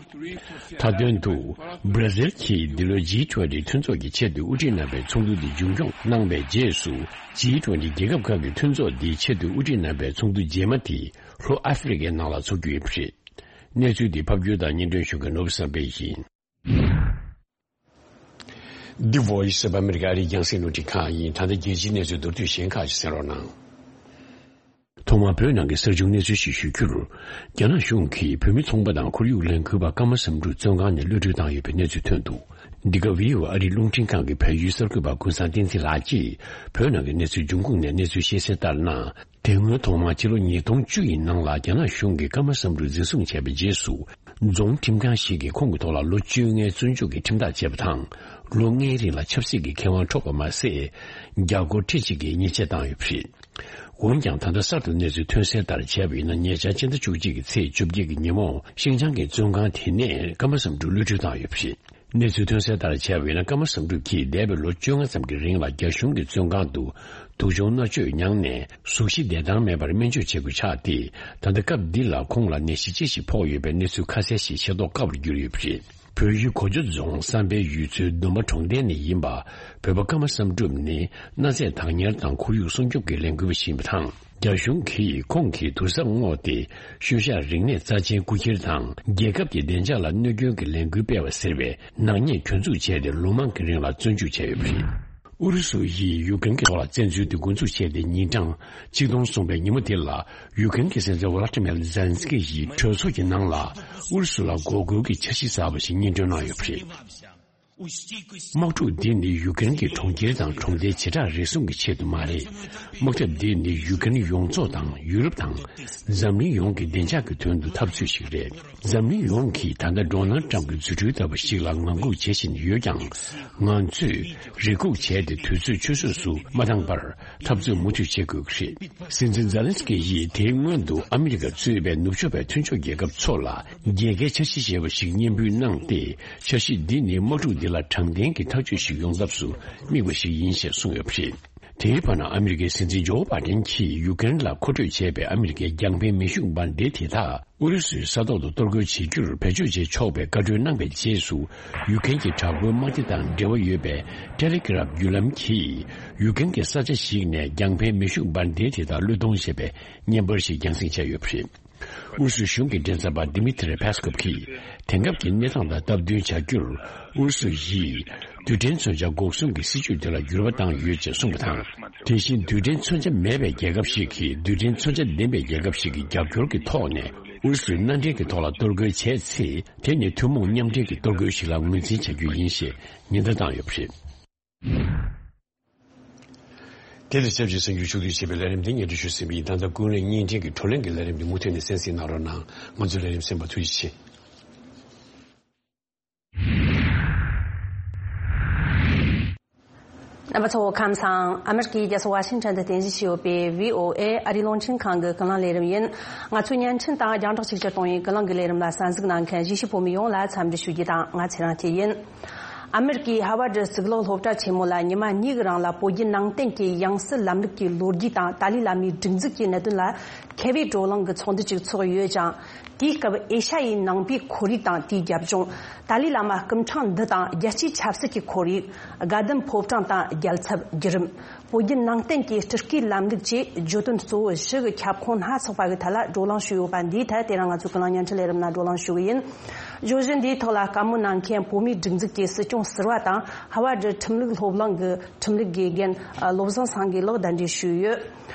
མཐའ་དོན་དུ། བྷ་ར་ཟིལ་གྱིས་འདི་ལོའི་ཇི་ཊུ་ཝེན་ཊི་མཐུན་ཚོགས་ཀྱི་ཆེས་མཐོའི་དབུ་ཁྲིད་རྣམ་པའི་ཚོགས་འདུ་འདི་མཇུག་སྐྱོང་གནང་བའི་རྗེས་སུ། ཇི་ཊུ་ཝེན་ཊི་རྒྱལ་ཁབ་ཁག་གི་མཐུན་ཚོགས་འདིའི་ཆེས་མཐོའི་དབུ་ཁྲིད་རྣམ་པའི་ཚོགས་འདུ་རྗེས་མ་དེ་ལྷོ་ཨ་ཧྥེ་རི་ཁའི་ནང་ལ་འཚོགས་རྒྱུ་ཡིན་པ་རེད། གནས་ཚུལ་འདི་ཕབ་སྒྱུར་དང་སྙན་སྒྲོན་ཞུ་མཁན་ནོར་བུ་བསམ་འཕེལ་ཡིན། འདི་Voice of America ཨ་རིའི་རྒྱང་སྲིང་རླུང་འཕྲིན་ཁང་ཡིན། ད་ལྟ་རྒྱལ་སྤྱིའི་གནས་ཚུལ་མདོར་བསྡུས་གཞན་ཁག་ཅིག་གསན་རོགས་གནང་། ཐོག་མར་བོད་ནང་གི་གསར་བྱུང་གནས་ཚུལ་ཞིག་ཞུ་རྒྱུར། རྒྱ་ནག་གཞུང་གིས་བོད་མི་ཚོང་པ་དང་ཁོར་ཡུག་ལས་འགུལ་བ་ཀརྨ་བསམ་གྲུབ་བཙོན་ཁང་ནས་གློད་གྲོལ་བཏང་ཡོད་པའི་གནས་ཚུལ་ཐོན་འདུག། འདི་ག་བྷི་ཨོ་ཨེ་ཨ་རིའི་རླུང་འཕྲིན་ཁང་གི་བལ་ཡུལ་གསར་འགོད་པ་ཀུན་བཟང་བསྟན་འཛིན་ལགས་ཀྱིས་བོད་ནང་གི་གནས་ཚུལ་འབྱུང་ཁུངས་ནས་གནས་ཚུལ་ཤེས་གསལ་ལྟར་ན། དེ་སྔོན་ཐོག་མར་ཕྱི་ལོ་ཉིས་སྟོང་བཅུ་ཡི་ནང་ལ་རྒྱ་ནག་གཞུང་གིས་ཀརྨ་བསམ་གྲུབ་འཛིན་བཟུང་བྱས་པའི་རྗེས་སུ། རྫོང་ཁྲིམས་ཁང་ཞིག་གིས་ཁོང་གི་ཐོག་ལ་ལོ་བཅོ་ལྔའི་བཙོན་འཇུག་གི་ཁྲིམས་ཐག་བཅད་པ་དང་། ལོ་ལྔའི་རིང་ལ་ཆབ་སྲིད་ཀྱི་ཁེ་དབང་འཕྲོག་པ་མ་ཟད། རྒྱ་སྒོར་ཁྲི་གཅིག་གི་ཉེས་ཆད་བཏང་ཡོད་པ་རེད། འོན་ཀྱང་ད་ལྟ་གསར་དུ་གནས་ཚུལ་ཐོན་གསལ་ལྟར་བྱས་པ་ཡིན་ན། ཉེ་ཆར་སྤྱི་ཟླ་བཅུ་གཅིག་གི་ཚེས་བཅོ་བརྒྱད་ཀྱི་ཉིན་མོ་ཤིན་ཅང་གི་བཙོན་ཁང་དེ་ནས་ཀརྨ་བསམ་གྲུབ་གློད་གྲོལ་བཏང་ཡོད་པ་རེད། གནས་ཚུལ་ཐོན་གསལ་ལྟར་བྱས་པ་ཡིན་ན། ཀརྨ་བསམ་གྲུབ་ཀྱིས་འདས་པའི་ལོ་བཅོ་ལྔ་ཙམ་གྱི་རིང་ལ་རྒྱ་གཞུང་གི་བཙོན་ཁང་དུ་དུག་སྦྱོང་མནར་གཅོད་མྱངས་ནས་གཟུགས་གཞི་བདེ་ཐང་མེད་པར་སྨན་བཅོས་བྱེད་དགོས་ཆགས་ཏེ། ད་ལྟ་སྐབས་འདི་ལ་ཁོང་ལ་ནད་གཞི་ཅི་ཞིག་ཕོག་ཡོད་པའི་གནས་ཚུལ་ཁ་གསལ་ཞིག་ཤེས་རྟོགས་དཀའ་བར་གྱུར་ཡོད་པ་རེད། བོད་ཡུལ་གོ་འཇོ་རྫོང་བསམ་འཕེལ་ཡུལ་ཚོའི་ལྡོམ་པ་གྲོང་རྡལ་ནས་ཡིན་པ། བོད་པ་ཀརྨ་བསམ་གྲུབ་ནི་གནའ་རྫས་བདག་གཉེར་དང་ཁོར་ཡུག་སྲུང་སྐྱོབ་ཀྱི་ལས་འགུལ་བ་ཞིག་ཡིན་པ་དང་། རྒྱ་གཞུང་གིས་ཁོང་གི་དུར་ས་བསྔོགས་ཏེ། ཤུལ་བཞག་རིག་གནས་རྩ་ཆེན་རྐུ་འཁྱེར་དང་། རྒྱལ་ཁབ་ཀྱི་བདེ་འཇགས་ལ་གནོད་སྐྱོན་གྱི་ལས་འགུལ་སྤེལ་བ་ཟེར་བའི་ནག་ཉེས་གྱོད་འཛུགས་བྱས་ཏེ། ལོ་མང་གི་རིང་ལ་བཙོན་འཇུག་བྱས་ཡོད་པ་རེད། ཨུ་རུ་སུ་ཡིས་ཡུཀ་རེན་གྱི་ཐོག་ལ་བཙན་འཛུལ་དེ་འགོ་འཛུགས་བྱས་ཏེ། ཉིན་གྲངས་གཅིག་སྟོང་སོང་པའི་ཉིན་མོ་དེ་ལ། ཡུཀ་རེན་གྱི་སྲིད་འཛིན་ཝ་ལ་ཏི་མེར་ཛེ་ལན་སི་ཀི་ཡིས་གྲོས་ཚོགས་ཀྱི་ནང་ལ་ཨུ་རུ་སུ་ལ་འགོག་རྒོལ་གྱི་འཆར་གཞི་གསར་པ་ཞིག་སྙན་སྒྲོན་གནང་ཡོད་པ་རེད། དམག་འཁྲུག་འདི་ནི་ཡུཀ་རེན་གྱི་གྲོང་ཁྱེར་དང་གྲོང་རྡལ་བྱེ་བྲག་རེ་ཟུང་གི་ཆེད་དུ་མ་རེད། དམག་འཁྲུག་འདི་ནི་ཡུཀ་རེན་ཡོངས་རྫོགས་དང་ཡུ་རོབ་དང་འཛམ་གླིང་ཡོངས་ཀྱི་བདེ་འཇགས་ཀྱི་དོན་དུ་འཐབ་རྩོད་ཞིག་རེད། འཛམ་གླིང་ཡོངས་ཀྱིས་ད་ལྟ་ཌོ་ནལ་ཊམ་གྱི་རྫུ་འཕྲུལ་ལྟ་བུ་ཞིག་ལ་ངང་སྒུག་བྱེད་བཞིན་ཡོད་ཀྱང་། ང་ཚོས་རེ་སྒུག་བྱས་ཏེ་དུས་ཚོད་ཆུད་ཟོས་སུ་མ་བཏང་བར། འཐབ་རྩོད་མུ་མཐུད་བྱེད་དགོས་ཀྱི་རེད། སྲིད་འཛིན་ཛེ་ལན་སི་ཀི་ཡིས་དེའི་སྔོན་དུ་ཨ་མི་རི་ཀ་གཙོས་པའི་ནུབ་ཕྱོགས་པའི་མཐུན་ཕྱོགས་རྒྱལ་ཁབ་ཚོ་ལ་རྒྱལ་ཁའི་འཆར་གཞི་ཞེས་པ་ཞིག་སྙན་འབུལ་གནང་སྟེ། འཆར་གཞི་འདི་ནི་དམག་འཁྲུག་འདི་ལ་དྲང་བདེན་གྱི་ཐག་གཅོད་ཞིག་ཡོང་ཐབས་སུ་དམིགས་པ་ཞིག་ཡིན་ཞེས་གསུངས་ཡོད་པ་རེད། དེའི་བར་ན་ཨ་མི་རི་ཀའི་སྲིད་འཛིན་ཇོ་བྷ་ཌེན་གྱིས་ཡུཀ་རེན་ལ་མཁོ་སྤྲོད་བྱས་པའི་ཨ་མི་རི་ཀའི་རྒྱང་འཕེན་མེ་ཤུགས་འབར་མདེལ་དེ་དག་ཨུ་རུ་སུའི་ས་ཐོག་ཏུ་གཏོར་རྒོལ་བྱེད་རྒྱུར་བེད་སྤྱོད་བྱེད་ཆོག་པའི་བཀའ་འཁྲོལ་གནང་བའི་རྗེས་སུ། ཡུཀ་རེན་གྱི་དྲག་པོའི་དམག་སྡེ་དང་འབྲེལ་བ་ཡོད་པའི་ཊེ་ལེ་གྷི་རབ་བརྒྱུད་ལམ་གྱིས། ཡུཀ་རེན་གྱི་ས་ཆ་ཞིག་ནས་རྒྱང་འཕེན་མེ་ཤུགས་འབར་མདེལ་དེ་དག་བློས་གཏོང་བྱས་པའི་བརྙན་པར་ཞིག་རྒྱང་སྲིང་བྱས་ཡོད་པ་རེད། ཨུ་རུ་སུའི་གཞུང་གི་མགྲིན་ཚབ་པ་Dmitry Peskov་གིས་དེང་སྐབས་ཀྱི་གནས་སྟངས་དང་སྟབས་བསྟུན་བྱ་རྒྱུར་ཨུ་རུ་སུ་ཡིས་རྡུལ་ཕྲན་མཚོན་ཆ་འགོག་སྲུང་གི་སྲིད་ཇུས་དེ་ལ་འགྱུར་བ་བཏང་ཡོད་ཅེས་གསུངས་པ་དང་། དེ་བཞིན་རྡུལ་ཕྲན་མཚོན་ཆ་མེད་པའི་རྒྱལ་ཁབ་ཞིག་གིས་རྡུལ་ཕྲན་མཚོན་ཆ་ལྡན་པའི་རྒྱལ་ཁབ་ཞིག་གི་རྒྱབ་སྐྱོར་གྱི་ཐོག་ནས་ཨུ་རུ་སུའི་མནའ་འབྲེལ་གྱི་ཐོག་ལ་གཏོར་རྒོལ་བྱས་ཚེ། དེ་ནི་ཐུན་མོང་མཉམ་འབྲེལ་གྱི་གཏོར་རྒོལ་ཞིག་ལ་ངོས་འཛིན་བྱ་རྒྱུ་ཡིན་ཞེས་ཉེན་བརྡ་བཏང་ཡོད་པ་རེད། དེ་དང་ཆབས་ཅིག་གསར་འགྱུར་ཕྱོགས་བསྡུས་བྱས་པའི་ལས་རིམ་འདི་སྙན་སྒྲོན་ཞུས་ཟིན་པ་ཡིན། ད་ལྟ་ཀུན་གླེང་བརྙན་འཕྲིན་གྱི་བགྲོ་གླེང་གི་ལས་རིམ་འདི་མུ་མཐུད་ནས་གསན་གཟིགས་གནང་རོགས་གནང་། ང་ཚོའི་ལས་རིམ་གསན་པར་ཐུགས་རྗེ་ཆེ། རྣམ་པ་ཚོ་ཁམས་བཟང་། ཨ་མེ་རི་ཀའི་རྒྱལ་ས་ཝ་ཤིང་ཊོན་དུ་རྟེན་གཞི་བྱས་ཡོད་པའི་བྷི་ཨོ་ཨེ་ཨ་རིའི་རླུང་འཕྲིན་ཁང་གི་ཀུན་གླེང་ལས་རིམ་ཡིན། ང་ཚོའི་བརྙན་འཕྲིན་དང་རྒྱང་བསྒྲགས་ཆིག་སྒྱུར་གཏོང་བའི་ཀུན་གླེང་གི་ལས་རིམ་ལ་གསན་གཟིགས་གནང་མཁན་གཞིས་བྱེས་བོད་མི་ཡོངས་ལ་འཚམས་འདྲི་ཞུ་རྒྱུ་དང་། ང་ཚེ་རིང་སྐྱིད་ཡིན། ཨ་མེ་རི་ཀའི་ཧ་ཝར་ཌི་གཙུག་ལག་སློབ་གྲྭ་ཆེན་མོ་ལ་ཉི་མ་གཉིས་ཀྱི་རིང་ལ་བོད་བརྒྱུད་ནང་བསྟན་གྱི་ཡང་སྲིད་ལམ་ལུགས་ཀྱི་ལོ་རྒྱུས་དང་ཏཱ་ལའི་བླ་མའི་སྒྲིག་འཛུགས་ཀྱི་གནད་དོན་ལ་མཁས་པའི་བགྲོ་གླེང་གི་ཚོགས་འདུ་ཅིག་ཚོགས་ཡོད་ཅིང་། དེའི་སྐབས་ཨེ་ཤ་ཡའི་ནང་པའི་ཁོར་ཡུག་དང་དེའི་རྒྱབ་ལྗོངས། ཏཱ་ལའི་བླ་མ་སྐུ་ཕྲེང་འདི་དང་རྒྱལ་སྤྱིའི་ཆབ་སྲིད་ཀྱི་ཁོར་ཡུག། དགའ་ལྡན་ཕོ་བྲང་དང་རྒྱལ་ཚབ་བརྒྱུད་རིམ། བོད་བརྒྱུད་ནང་བསྟན་གྱི་སྤྲུལ་སྐུའི་ལམ་ལུགས་བཅས་བརྗོད་དོན་གཙོ་བོ་བཞི་གི་ཁྱབ་ཁོངས་སྣ་ཚོགས་པ་གི་ཐད་ལ་བགྲོ་གླེང་ཞུས་ཡོད་པ་འདིའི་ཐད་དེ་རིང་ང་ཚོའི་ཀུན་གླེང་བརྙན་འཕྲིན་ལས་རིམ་ནང་བགྲོ་གླེང་ཞུ་གི་ཡིན། བརྗོད་གཞི་འདིའི་ཐོག་ལ་བཀའ་མོལ་གནང་མཁན་བོད་མིའི་སྒྲིག་འཛུགས་ཀྱི་སྲིད་སྐྱོང་ཟུར་པ་དང་ཧ་ཝར་ཌི་ཁྲིམས་ལུགས་སློབ་གླིང་གི་ཁྲིམས་ལུགས་དགེ་རྒན་བློ་བཟང་སངས་རྒྱས་ལགས་གདན་འདྲེན་ཞུས་ཡོད།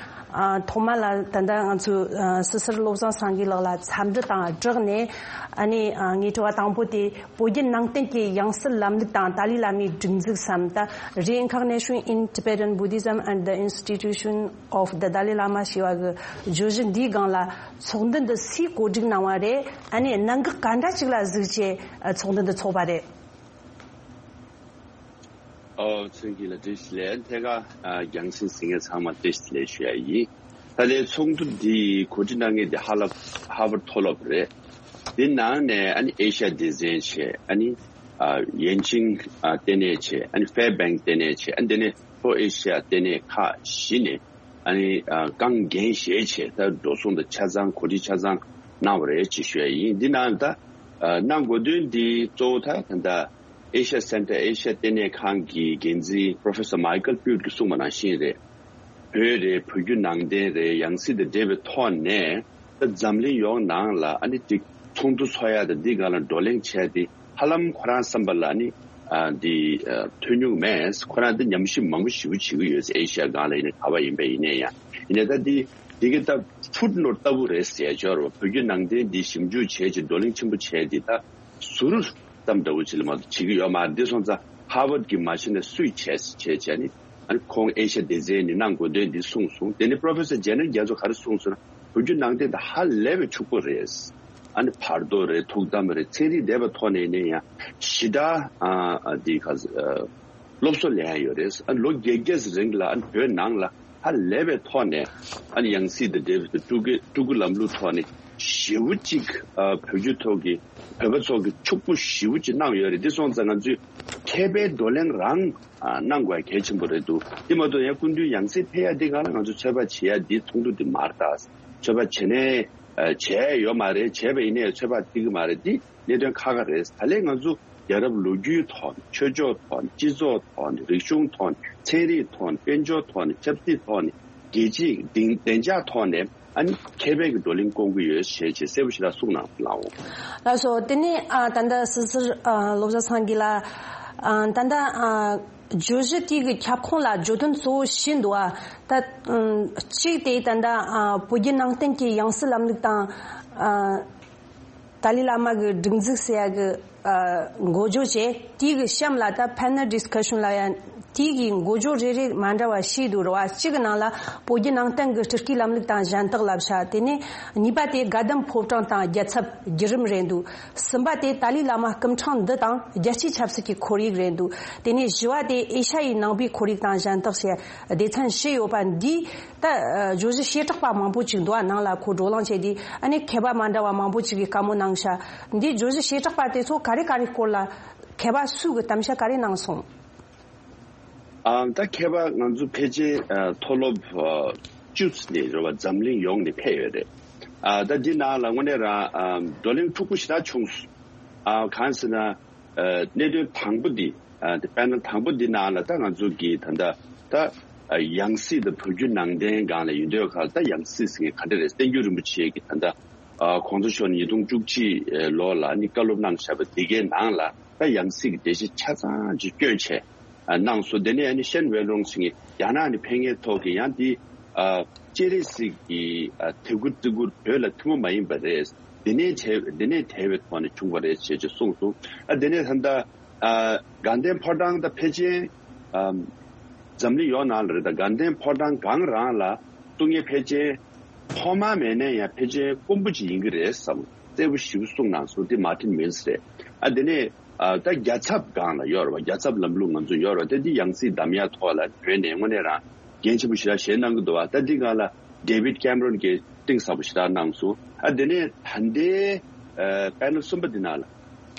ཨ། ཐོག་མ་ལ་ད་ལྟ་ང་ཚོའི་ཨ་སི་སིར་བློ་བཟང་སངས་རྒྱས་ལགས་ལ་འཚམས་འདྲི་དང་སྦྲགས་ནས། ཨ་ནི་ཨ་ངའི་དྲི་བ་དང་པོ་དེ་བོད་བརྒྱུད་ནང་བསྟན་གྱི་ཡང་སྲིད་ལམ་ལུགས་དང་ཏཱ་ལའི་བླ་མའི་སྒྲིག་འཛུགས་སམ། ད་Reincarnation in Tibetan Buddhism and the Institution of the Dalai Lama ཞེས་པ་གི་བརྗོད་གཞི་འདིའི་སྒང་ལ་ཚོགས་འདུ་འདི་སུས་གོ་སྒྲིག་གནང་བ་རེད། ཨ་ནི་གནད་འགག་ག་འདྲ་ཅིག་ལ་གཟིགས་བྱས་ཚོགས་འདུ་འདི་ཚོགས་པ་རེད། ཨོ། ཚོན་གྱི་ལ་བཀྲ་ཤིས་བདེ་ལེགས། ཐད་ཀར་ཨ་རྒྱང་སྲིང་གཟིགས་མཁན་ཚང་མ་བཀྲ་ཤིས་བདེ་ལེགས་ཞུ་ཡ་ཡིན། ད་ལྟའི་ཚོགས་འདུ་འདི་གོ་སྒྲིག་གནང་མཁན་འདི་ཧ་ལ་ཧ་ཝར་ཌི་མཐོ་སློབ་རེད། འདི་ནང་ནས་ཨ་ནི་ཨེ་ཤ་ཡ་སྡེ་ཚན་བྱས། ཨ་ནི་ཨ་ཡན་ཅིང་ཨ་ལྟེ་གནས་བྱས། ཨ་ནི་ཧྥེ་བེང་ལྟེ་གནས་བྱས། ཨ་ནི་དེ་ནས་ལྷོ་ཨེ་ཤ་ཡ་ལྟེ་གནས་ཁག་བཞི་ནས་ཨ་ནི་ཨ་རྐང་འགན་བཞེས་བྱས། ད་འགྲོ་སོང་དང་ཆ་ཚང་གོ་སྒྲིག་ཆ་ཚང་གནང་བ་རེད་ཅེས་ཞུ་ཡ་ཡིན། འདི་ནང་ད་ཨ་གནང་དགོས་དོན་འདི་གཙོ་བོ་ད་ད་ལྟ་ཨེ་ཤ་ཡ་སེན་ཊར་ཨེ་ཤ་ཡ་ལྟེ་གནས་ཁང་གི་འགན་འཛིན་Professor Michael Pyot་གིས་གསུངས་པ་ནང་བཞིན་རེད། བོད་རེད། བོད་བརྒྱུད་ནང་བསྟན་རེད། ཡང་སྲིད་དང་འབྲེལ་བའི་ཐོག་ནས་ད་འཛམ་གླིང་ཡོངས་ནང་ལ་ཨ་ནི་ཅིག་ཚོགས་འདུ་ཚོགས་ཡ་དང་འདི་སྒང་ལ་བགྲོ་གླེང་བྱས་ཏེ་ཧ་ལམ་ཁོ་རང་བསམ་པ་ལ་ཨ་ནི་ཨ་འདི་ཨ་ཐོན་མྱོང་མེད། ཁོ་རང་འདི་ཉམས་ཞིབ་མང་པོ་ཞེ་པོ་བྱེད་ཀྱི་ཡོད། ཨེ་ཤ་ཡ་སྒང་ལ་ཡིན་ནའི་ག་པར་ཡིན་པ་ཡིན་ནའི་ཡང་ཡིན་ནའི་ད་འདི་འདི་གི་ད་ཕུཊ་ནོཊ་ལྟ་བུ་རེད་ཟེར་ཡ་ཅིག་ཡོད་རེད་བ། བོད་བརྒྱུད་ནང་བསྟན་འདི་ཞིབ་འཇུག་བྱས་ཅིག་བགྲོ་གླེང་ཆེན་པོ་བྱས་ཏེ་ད་ཟུར་ཙམ་འདྲ་བོ་ཅིག་ལ་མ་གཏོགས་བྱེད་ཀྱི་ཡོད་མ་རེད། འདི་སོང་ཙང་ཧར་ཝར་ཌི་གིས་མ་བྱས་ན་སུས་བྱས་བྱས་བྱས་ནི་ཨ་ནི་ཁོང་ཨེ་ཤ་ཡ་སྡེ་ཚན་ནས་གནང་དགོས་དོན་འདི་གསུངས་སོང་། དེ་ནས་Professor Janet་རྒྱ་མཚོ་ག་རེ་གསུངས་སོང་ན་བོད་བརྒྱུད་ནང་བསྟན་དེ་ཧ་ལས་པའི་ཕྱུག་པོ་རེད། ཨ་ནི་བར་དོ་རེད། ཐུགས་དམ་རེད། ཚན་རིག་འདྲ་བའི་ཐོག་ནས་ནས་ཡང་ཞེ་དྲག་ཨ་ཨ་འདི་ག་ཨ་སློབ་གསོ་ལེན་ཡ་ཡོད་རེད། ཨ་ལོ་བརྒྱད་བརྒྱད་རིང་ལ་ཨ་ནི་བོད་ནང་ལ་ཧ་ལས་པའི་ཐོག་ནས་ཨ་ནི་ཡང་སྲིད་དང་འབྲེལ་བའི་སྤྲུལ་སྐུ་སྤྲུལ་སྐུ་ལམ་ལུགས་ཐོག་ནས་ཞེ་པོ་ཅིག་ཨ་བོད་བརྒྱུད་ཐོག་གི་བོད་པ་ཚོ་གི་ཕྱུག་པོ་ཞེ་པོ་ཅིག་གནང་ཡོད་རེད། འདི་སོང་ཙང་ང་ཚོས་མཁས་པའི་བགྲོ་གླེང་རང་ཨ་གནང་དགོས་གལ་ཆེན་པོ་རེད་འདུག་དེ་མ་གཏོགས་ཡང་སྐུ་མདུན་ཡང་སྲིད་ཕེབས་ཡ་འདི་སྒང་ལ་ང་ཚོ་ཚོད་དཔག་བྱེད་ཡ་འདི་ཚོགས་འདུ་འདི་མ་རེད་ད། ཚོད་དཔག་བྱེད་ནས་ཨ་བྱས་ཡོད་མ་རེད། བྱས་པ་ཡིན་ནའི་ཚོད་དཔག་འགྲིག་གི་མ་རེད། འདི་གནད་དོན་ཁག་ཁག་རེད། ད་ལན་ང་ཚོ་རྒྱལ་རབས་ལོ་རྒྱུས་ཐོག་ནས། ཆོས་ཕྱོགས་ཐོག་ནས། སྤྱི་ཚོགས་ཐོག་ནས། རིག་གཞུང་ཐོག་ནས། ཚན་རིག་ཐོག་ནས། དཔལ་འབྱོར་ཐོག་ནས། ཆབ་སྲིད་ཐོག་ནས། རྒྱལ་སྤྱིའི་བདེ་བདེ་འཇགས་ཐོག་ནས་ཨ་ནི་མཁས་པའི་གི་བགྲོ་གླེང་སྐོང་གི་ཡོད་ཞེས་བྱས་གསལ་པོ་ཞིག་ལ་གསུངས་གནང་ལགས། ལགས་སོ། དེ་ནས་ཨ་ད་ལྟ་སི་སིར་ཨ་བློ་བཟང་སངས་རྒྱས་ལགས། ཨ་ད་ལྟ་ཨ་བརྗོད་གཞི་དེའི་གི་ཁྱབ་ཁོངས་ལ་བརྗོད་དོན་གཙོ་བོ་བཞི་འདུག་ཨ། ད་ཨ་གཅིག་དེ་ད་ལྟ་ཨ་བོད་བརྒྱུད་ནང་བསྟན་གྱི་ཡང་སྲིད་ལམ་ལུགས་དང་ཨ། ཏཱ་ལའི་བླ་མ་གི་སྒྲིག་འཛུགས་ཟེར་ཡ་གི་ཨ་འགོ་བརྗོད་བྱས། དེའི་གི་གཤམ་ལ་ད་panel discussion་ལབ་ཡ། དེའི་གི་འགོ་བརྗོད་རེ་རེ་མ་འདྲ་བ་བྱས་འདུག་རེད་བ། གཅིག་གི་ནང་ལ་བོད་བརྒྱུད་ནང་བསྟན་གི་སྤྲུལ་སྐུའི་ལམ་ལུགས་དང་གཞན་དག་བསླབ་བྱ། དེ་ནས་གཉིས་པ་དེ་དགའ་ལྡན་ཕོ་བྲང་དང་རྒྱལ་ཚབ་བརྒྱུད་རིམ་རེད་འདུག་གསུམ་པ་དེ་ཏཱ་ལའི་བླ་མ་སྐུ་ཕྲེང་འདི་དང་རྒྱལ་སྤྱིའི་ཆབ་སྲིད་ཀྱི་ཁོར་ཡུག་རེད་འདུག་དེ་ནས་བཞི་བ་དེ་ཨེ་ཤ་ཡའི་ནང་པའི་ཁོར་ཡུག་དང་གཞན་དག་ཞེས་སྡེ་ཚན་བཞི་ཡོད་པ་འདི། ད་ཨ་བརྗོད་གཞི་བྱེ་བྲག་པ་མང་པོ་ཅིག་འདུག་ཨ། ནང་ལ་ཁོ་བགྲོ་གླེང་བྱས་ཏེ་ཨ་ནི་མཁས་པ་མ་འདྲ་བ་མང་པོ་ཅིག་གིས་བཀའ་མོལ་གནང་ཤག་འདི་བརྗོད་གཞི་བྱེ་བྲག་པ་དེ་ཚོ་ག་རེ་ག་རེ་སྐོར་ལ་མཁས་པ་སུ་གིས་གཏམ་བཤད་ག་རེ་གནང་སོང་། ཨ་ད་མཁས་པ་ང་ཚོ་ཕལ་ཆེར་ཨ་མཐོ་སློབ་ཨ་བཅུ་ནས་རེད་བ། འཛམ་གླིང་ཡོངས་ནས་ཕེབས་ཡོད་རེད། ཨ་ད་འདི་ནང་ལ་དངོས་གནས་རང་ཨ་བགྲོ་གླེང་འཁྲུག་པོ་ཞེ་དྲག་བྱུང་སོང་། ཨ་གང་ཟེར་ན། ཨ་གནད་དོན་དང་པོ་འདི། ཨ་དེ་པེ་ནལ་དང་པོ་འདི་ནང་ལ་ད་ང་ཚོ་གི་ད་ལྟ་ཨ་ཡང་སྲིད་དང་བོད་བརྒྱུད་ནང་བསྟན་སྒང་ལ་ཡོད་དུས་ཁ་ལ། ད་ཡང་སྲིད་ཟེར་མཁན་ག་འདྲ་རེད། བསྟན་འགྱུར་རིན་པོ་ཆེ་གི་ད་ལྟ་ ཨ་གོང་ས་མཆོག་ཉིས་སྟོང་བཅུ་གཅིག་ལོ་ལ་ནི་བཀའ་སློབ་གནང་བཞག་པ་འདི་གའི་ནང་ལ་ད་ཡང་སྲིད་ཀྱི་འགྲེལ་བཤད་ཆ་ཚང་ཅིག་བསྐྱོན་བྱས་ཨ་གནང་སོང་། དེ་ནས་ཨ་ནི་ཤན་ཝེན་རོང་ཟེར་མཁན་རྒྱ་ནག་ནས་ཕེབས་མཁན་ཐོག་གི་ཡང་འདི་ཨ་སྤྱན་རས་གཟིགས་ཀྱི་ཨ་དད་གུས་བརྩི་བཀུར་བོད་ལ་ཐུན་མོང་མ་ཡིན་པ་རེད། འདི་ནས་བྲལ་འདི་ནས་བྲལ་བའི་ཐོག་ནས་བྱུང་བ་རེད་ཅེས་ཅིག་གསུངས་སོང་། ཨ་དེ་ནས་ད་ལྟ་ཨ་དགའ་ལྡན་ཕོ་བྲང་དང་ཕལ་ཆེར་ཨ་འཛམ་གླིང་ཡོངས་ནང་ལ་རེད། ད་དགའ་ལྡན་ཕོ་བྲང་སྒང་རང་ལ་གཏོང་མཁན་ཕལ་ཆེར་ཐོག་མ་མེད་ནའི་ཡང་ཕལ་ཆེར་དཀོན་པོ་ཅིག་ཡིན་གྱི་རེད་བསམ། གསལ་པོ་ཞེ་པོ་གསུངས་གནང་སོང་། དེ་མར་ཊིན་མིལ་སི་རེད། ཨ་དེ་ནས་ཨ་ད་རྒྱལ་ཚབ་སྒང་ལ་ཡོད་རེད་བ། རྒྱལ་ཚབ་ལམ་ལུགས་ང་ཚོ་ཡོད་རེད་བ། དེ་འདི་ཡང་སྲིད་གདམ་ཡག་ཐོག་ལ་བོད་ནས་དངོས་གནས་རང་འགན་ཆེན་པོ་ཞེ་དྲག་བཞེས་གནང་གི་འདུག་བ། ད་འདི་སྒང་ལ་ཌེ་ཝིད་ཀེམ་རོན་གྱིས་གཏིང་ཟབ་པོ་ཞེ་དྲག་གནང་སོང་། ཨ་དེ་ནས་ད་ལྟའི་ཨ་པེ་ནལ་གསུམ་པ་འདི་ནང་ལ་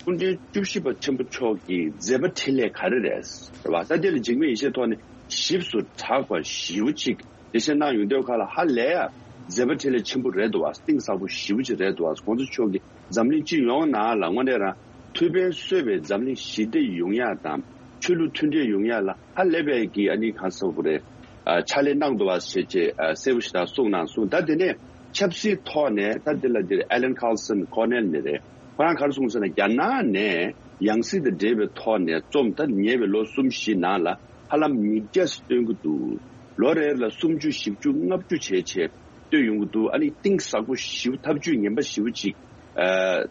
སྐུ་ཕྲེང་བཅུ་བཞི་པ་ཆེན་པོ་མཆོག་གི་མཛད་པ་འཕྲིན་ལས་ག་རེ་རེད་རེད་བ། ད་དེ་ལ་འཇིགས་མེད་ཡེ་ཤེས་ཐོག་ནས་ཞིབ་ཏུ་གྲགས་པ་ཞེ་པོ་ཅིག་འགྲེལ་བཤད་གནང་ཡོང་དུས་ཁ་ལ་ཧ་ལས་ཡ་མཛད་པ་འཕྲིན་ལས་ཆེན་པོ་རེད་འདུག་བ། གཏིང་ཟབ་པོ་ཞེ་པོ་ཅིག་རེད་འདུག་བ། གོང་ས་མཆོག་གིས་འཛམ་གླིང་སྤྱི་ཡོངས་ནང་ལ་དངོས་གནས་རང་ཐུགས་ཕན་གསོས་པའི་འཛམ་གླིང་ཞི་བདེ་ཡོང་ཡ་དང་ཆོས་ལུགས་མཐུན་སྒྲིལ་ཡོང་ཡ་ལ་ཧ་ལས་པའི་གི་ཨ་ནི་གང་ཟེར་དགོས་རེད། ཨ་ཕྱག་ལས་གནང་འདུག་བ་ཞེས་བྱས་ཨ་གསལ་པོ་ཞེ་དྲག་གསུངས་གནང་སོང་། ད་དེ་ནས་ཆབ་སྲིད་ཐོག་ནས་ད་དེ་ལ་འདིར་ཨེ་ལན་ཁཱར་སན་ཁོ་ནེལ་ནི་རེད། ཁོ་རང་ག་རེ་གསུངས་ཟེར་ན་རྒྱ་ནག་ནས་ཡང་སྲིད་དང་འབྲེལ་བའི་ཐོག་ནས་རྩོམ་ད་ཉེ་བའི་ལོ་གསུམ་བཞི་ནང་ལ་ཧ་ལམ་ཉིས་བརྒྱ་སྟོན་གྱི་འདུག་ལོ་རེ་ལ་སུམ་ཅུ་བཞི་བཅུ་ལྔ་བཅུ་བྱས་བྱས་སྟོན་ཡོང་གི་འདུག་ཨ་ནི་གཏིང་ཟབ་པོ་ཞིབ་ཐབས་ཇུས་ངན་པ་ཞེ་པོ་ཅིག་ཨ་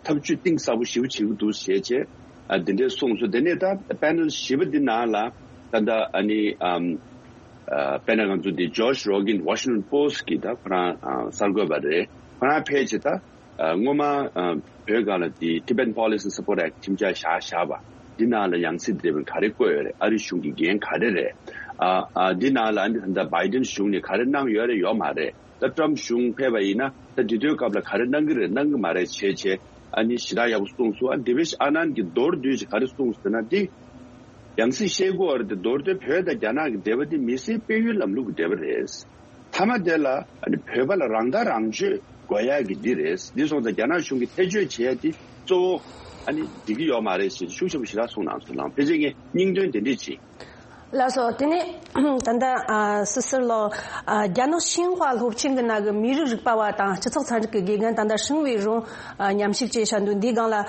ཐབས་ཇུས་གཏིང་ཟབ་པོ་ཞེ་པོ་བྱེད་ཀྱི་འདུག་ཞེས་བྱས་ཨ་འདི་འདྲའི་གསུངས་སོང་། དེ་ནས་ད་པེ་ནལ་བཞི་པ་འདི་ནང་ལ་ད་ལྟ་ཨ་ནི་ཨམ་ཨ་དཔེར་ན་ང་ཚོ་འདི་ཇོ་ཤི་རོ་གིན་ཝ་ཤིང་ཊོན་པོ་སི་གི་ད་ཁོ་རང་ཨ་གསར་འགོད་པ་རེད། ཁོ་རང་ཕལ་ཆེར་ད་ཨ་སྔོན་མ་ཨ་བོད་སྒང་ལ་འདི་Tibetan Policy Support Act ཁྲིམས་འཆར་བཞག་བཞག་པ་འདི་ནང་ལ་ཡང་སྲིད་འདི་ག་རེ་བཀོད་ཡོད་རེད། ཨ་རི་གཞུང་གི་འགན་ག་རེ་རེད། ཨ་ཨ་འདི་ནང་ལ་ཨ་ནི་ད་ལྟ་བྷའི་ཌེན་གཞུང་ནས་ག་རེ་གནང་ཡོད་རེད་ཡོད་མ་རེད། ད་ཊམ་གཞུང་ཕེབས་པ་ཡིན་ན་ད་འདི་དུས་སྐབས་ལ་ག་རེ་གནང་གི་རེད་གནང་གི་མ་རེད་བྱས་བྱས་ཨ་ནི་ཞེ་དྲག་ཡག་པོ་གསུངས་སོང་། ཨ་ཌེ་ཝིཌ་ཨ་ནན་གྱིས་མདོར་བསྡུས་ཀྱིས་ག་རེ་གསུངས་ཟེར་ན་འདི་ཡང་སྲིད་བཤད་དགོས་པ་རེད་དེ་མདོར་བསྡུས་བོད་དང་རྒྱ་ནག་གི་འབྲེལ་བ་འདི་མི་སེར་སྤེལ་ཡུལ་ལམ་ལུགས་ཀྱི་འབྲེལ་བ་རེད། མཐའ་མ་དེ་ལ་ཨ་ནི་བོད་པ་ལ་རང་ཐག་རང་གཅོད་དགོས་ཡག་གི་འདི་རེད། འདི་སོང་ཙང་རྒྱ་ནག་གཞུང་གིས་ཐེ་བྱུས་བྱས་ཏེ་གཙོ་བོ་ཨ་ནི་འགྲིག་གི་ཡོད་མ་རེད་ཞེས་ཤུགས་ཆེན་པོ་ཞེ་དྲག་གསུངས་གནང་སོང་། ལགས་ཕལ་ཆེར་ངས་སྙིང་དོན་དེ་འདྲས་བྱས། ལགས་སོ། དེ་ནས་ད་ལྟ་ཨ་སི་སི་ལོ་ཨ་རྒྱ་ནག་ཤིན་ཧྭ་སློབ་ཆེན་གྱི་ནང་གི་མི་རིགས་རིག་པ་བ་དང་སྤྱི་ཚོགས་ཚན་རིག་གི་དགེ་རྒན་ད་ལྟ་ཧྲིན་ཝེ་རུང་ཨ་མཉམ་ཞུགས་བྱས་བཞག་འདུག་འདིའི་སྒང་ལ་ཨ་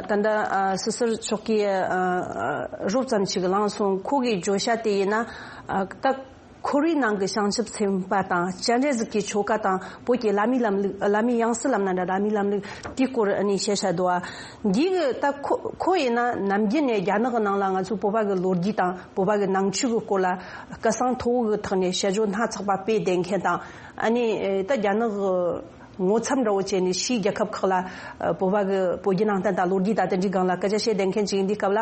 ད་ལྟ་ཨ་སི་སི་མཆོག་གིས་ཨ་རོབ་ཙམ་ཞིག་ལངས་སོང་། ཁོ་གི་བརྗོད་བྱ་དེ་ཡིན་ན་ཨ་ད་ཁོར་ཡུག་ནང་གི་བྱང་ཆུབ་སེམས་དཔའ་དང་སྤྱན་རས་གཟིགས་ཀྱི་ཆོ་ག་དང་བོད་ཀྱི་བླ་མའི་ལམ་ལུགས། བླ་མའི་ཡང་སྲིད་ལབ་ན་འདྲ། བླ་མའི་ལམ་ལུགས་དེའི་སྐོར་ཨ་ནི་བཤད་བཞག་འདུག་ཨ། འདི་གི་ད་ཁོ་ཁོ་ཡིན་ན་ནམ་རྒྱུན་ནས་རྒྱ་ནག་གི་ནང་ལ་ང་ཚོའི་བོད་པ་གི་ལོ་རྒྱུས་དང་བོད་པ་གི་ནང་ཆོས་ཀྱི་སྐོར་ལ་སྐད་གསང་མཐོ་བོ་གི་ཐོག་ནས་དཔྱད་བརྗོད་སྣ་ཚོགས་པ་སྤེལ་བསྡད་མཁན་དང་། ཨ་ནི་ད་རྒྱ་ནག་གི་ངོ་ཚབ་འདྲ་བོ་བྱས་ནས་ཕྱིའི་རྒྱལ་ཁབ་ཁག་ལ་བོད་པ་གི་བོད་བརྒྱུད་ནང་བསྟན་དང་ལོ་རྒྱུས་དང་དེ་འདྲའི་སྒང་ལ་སྐད་ཆ་བཤད་བསྡད་མཁན་ཅིག་ཡིན་དུས་སྐབས་ལ།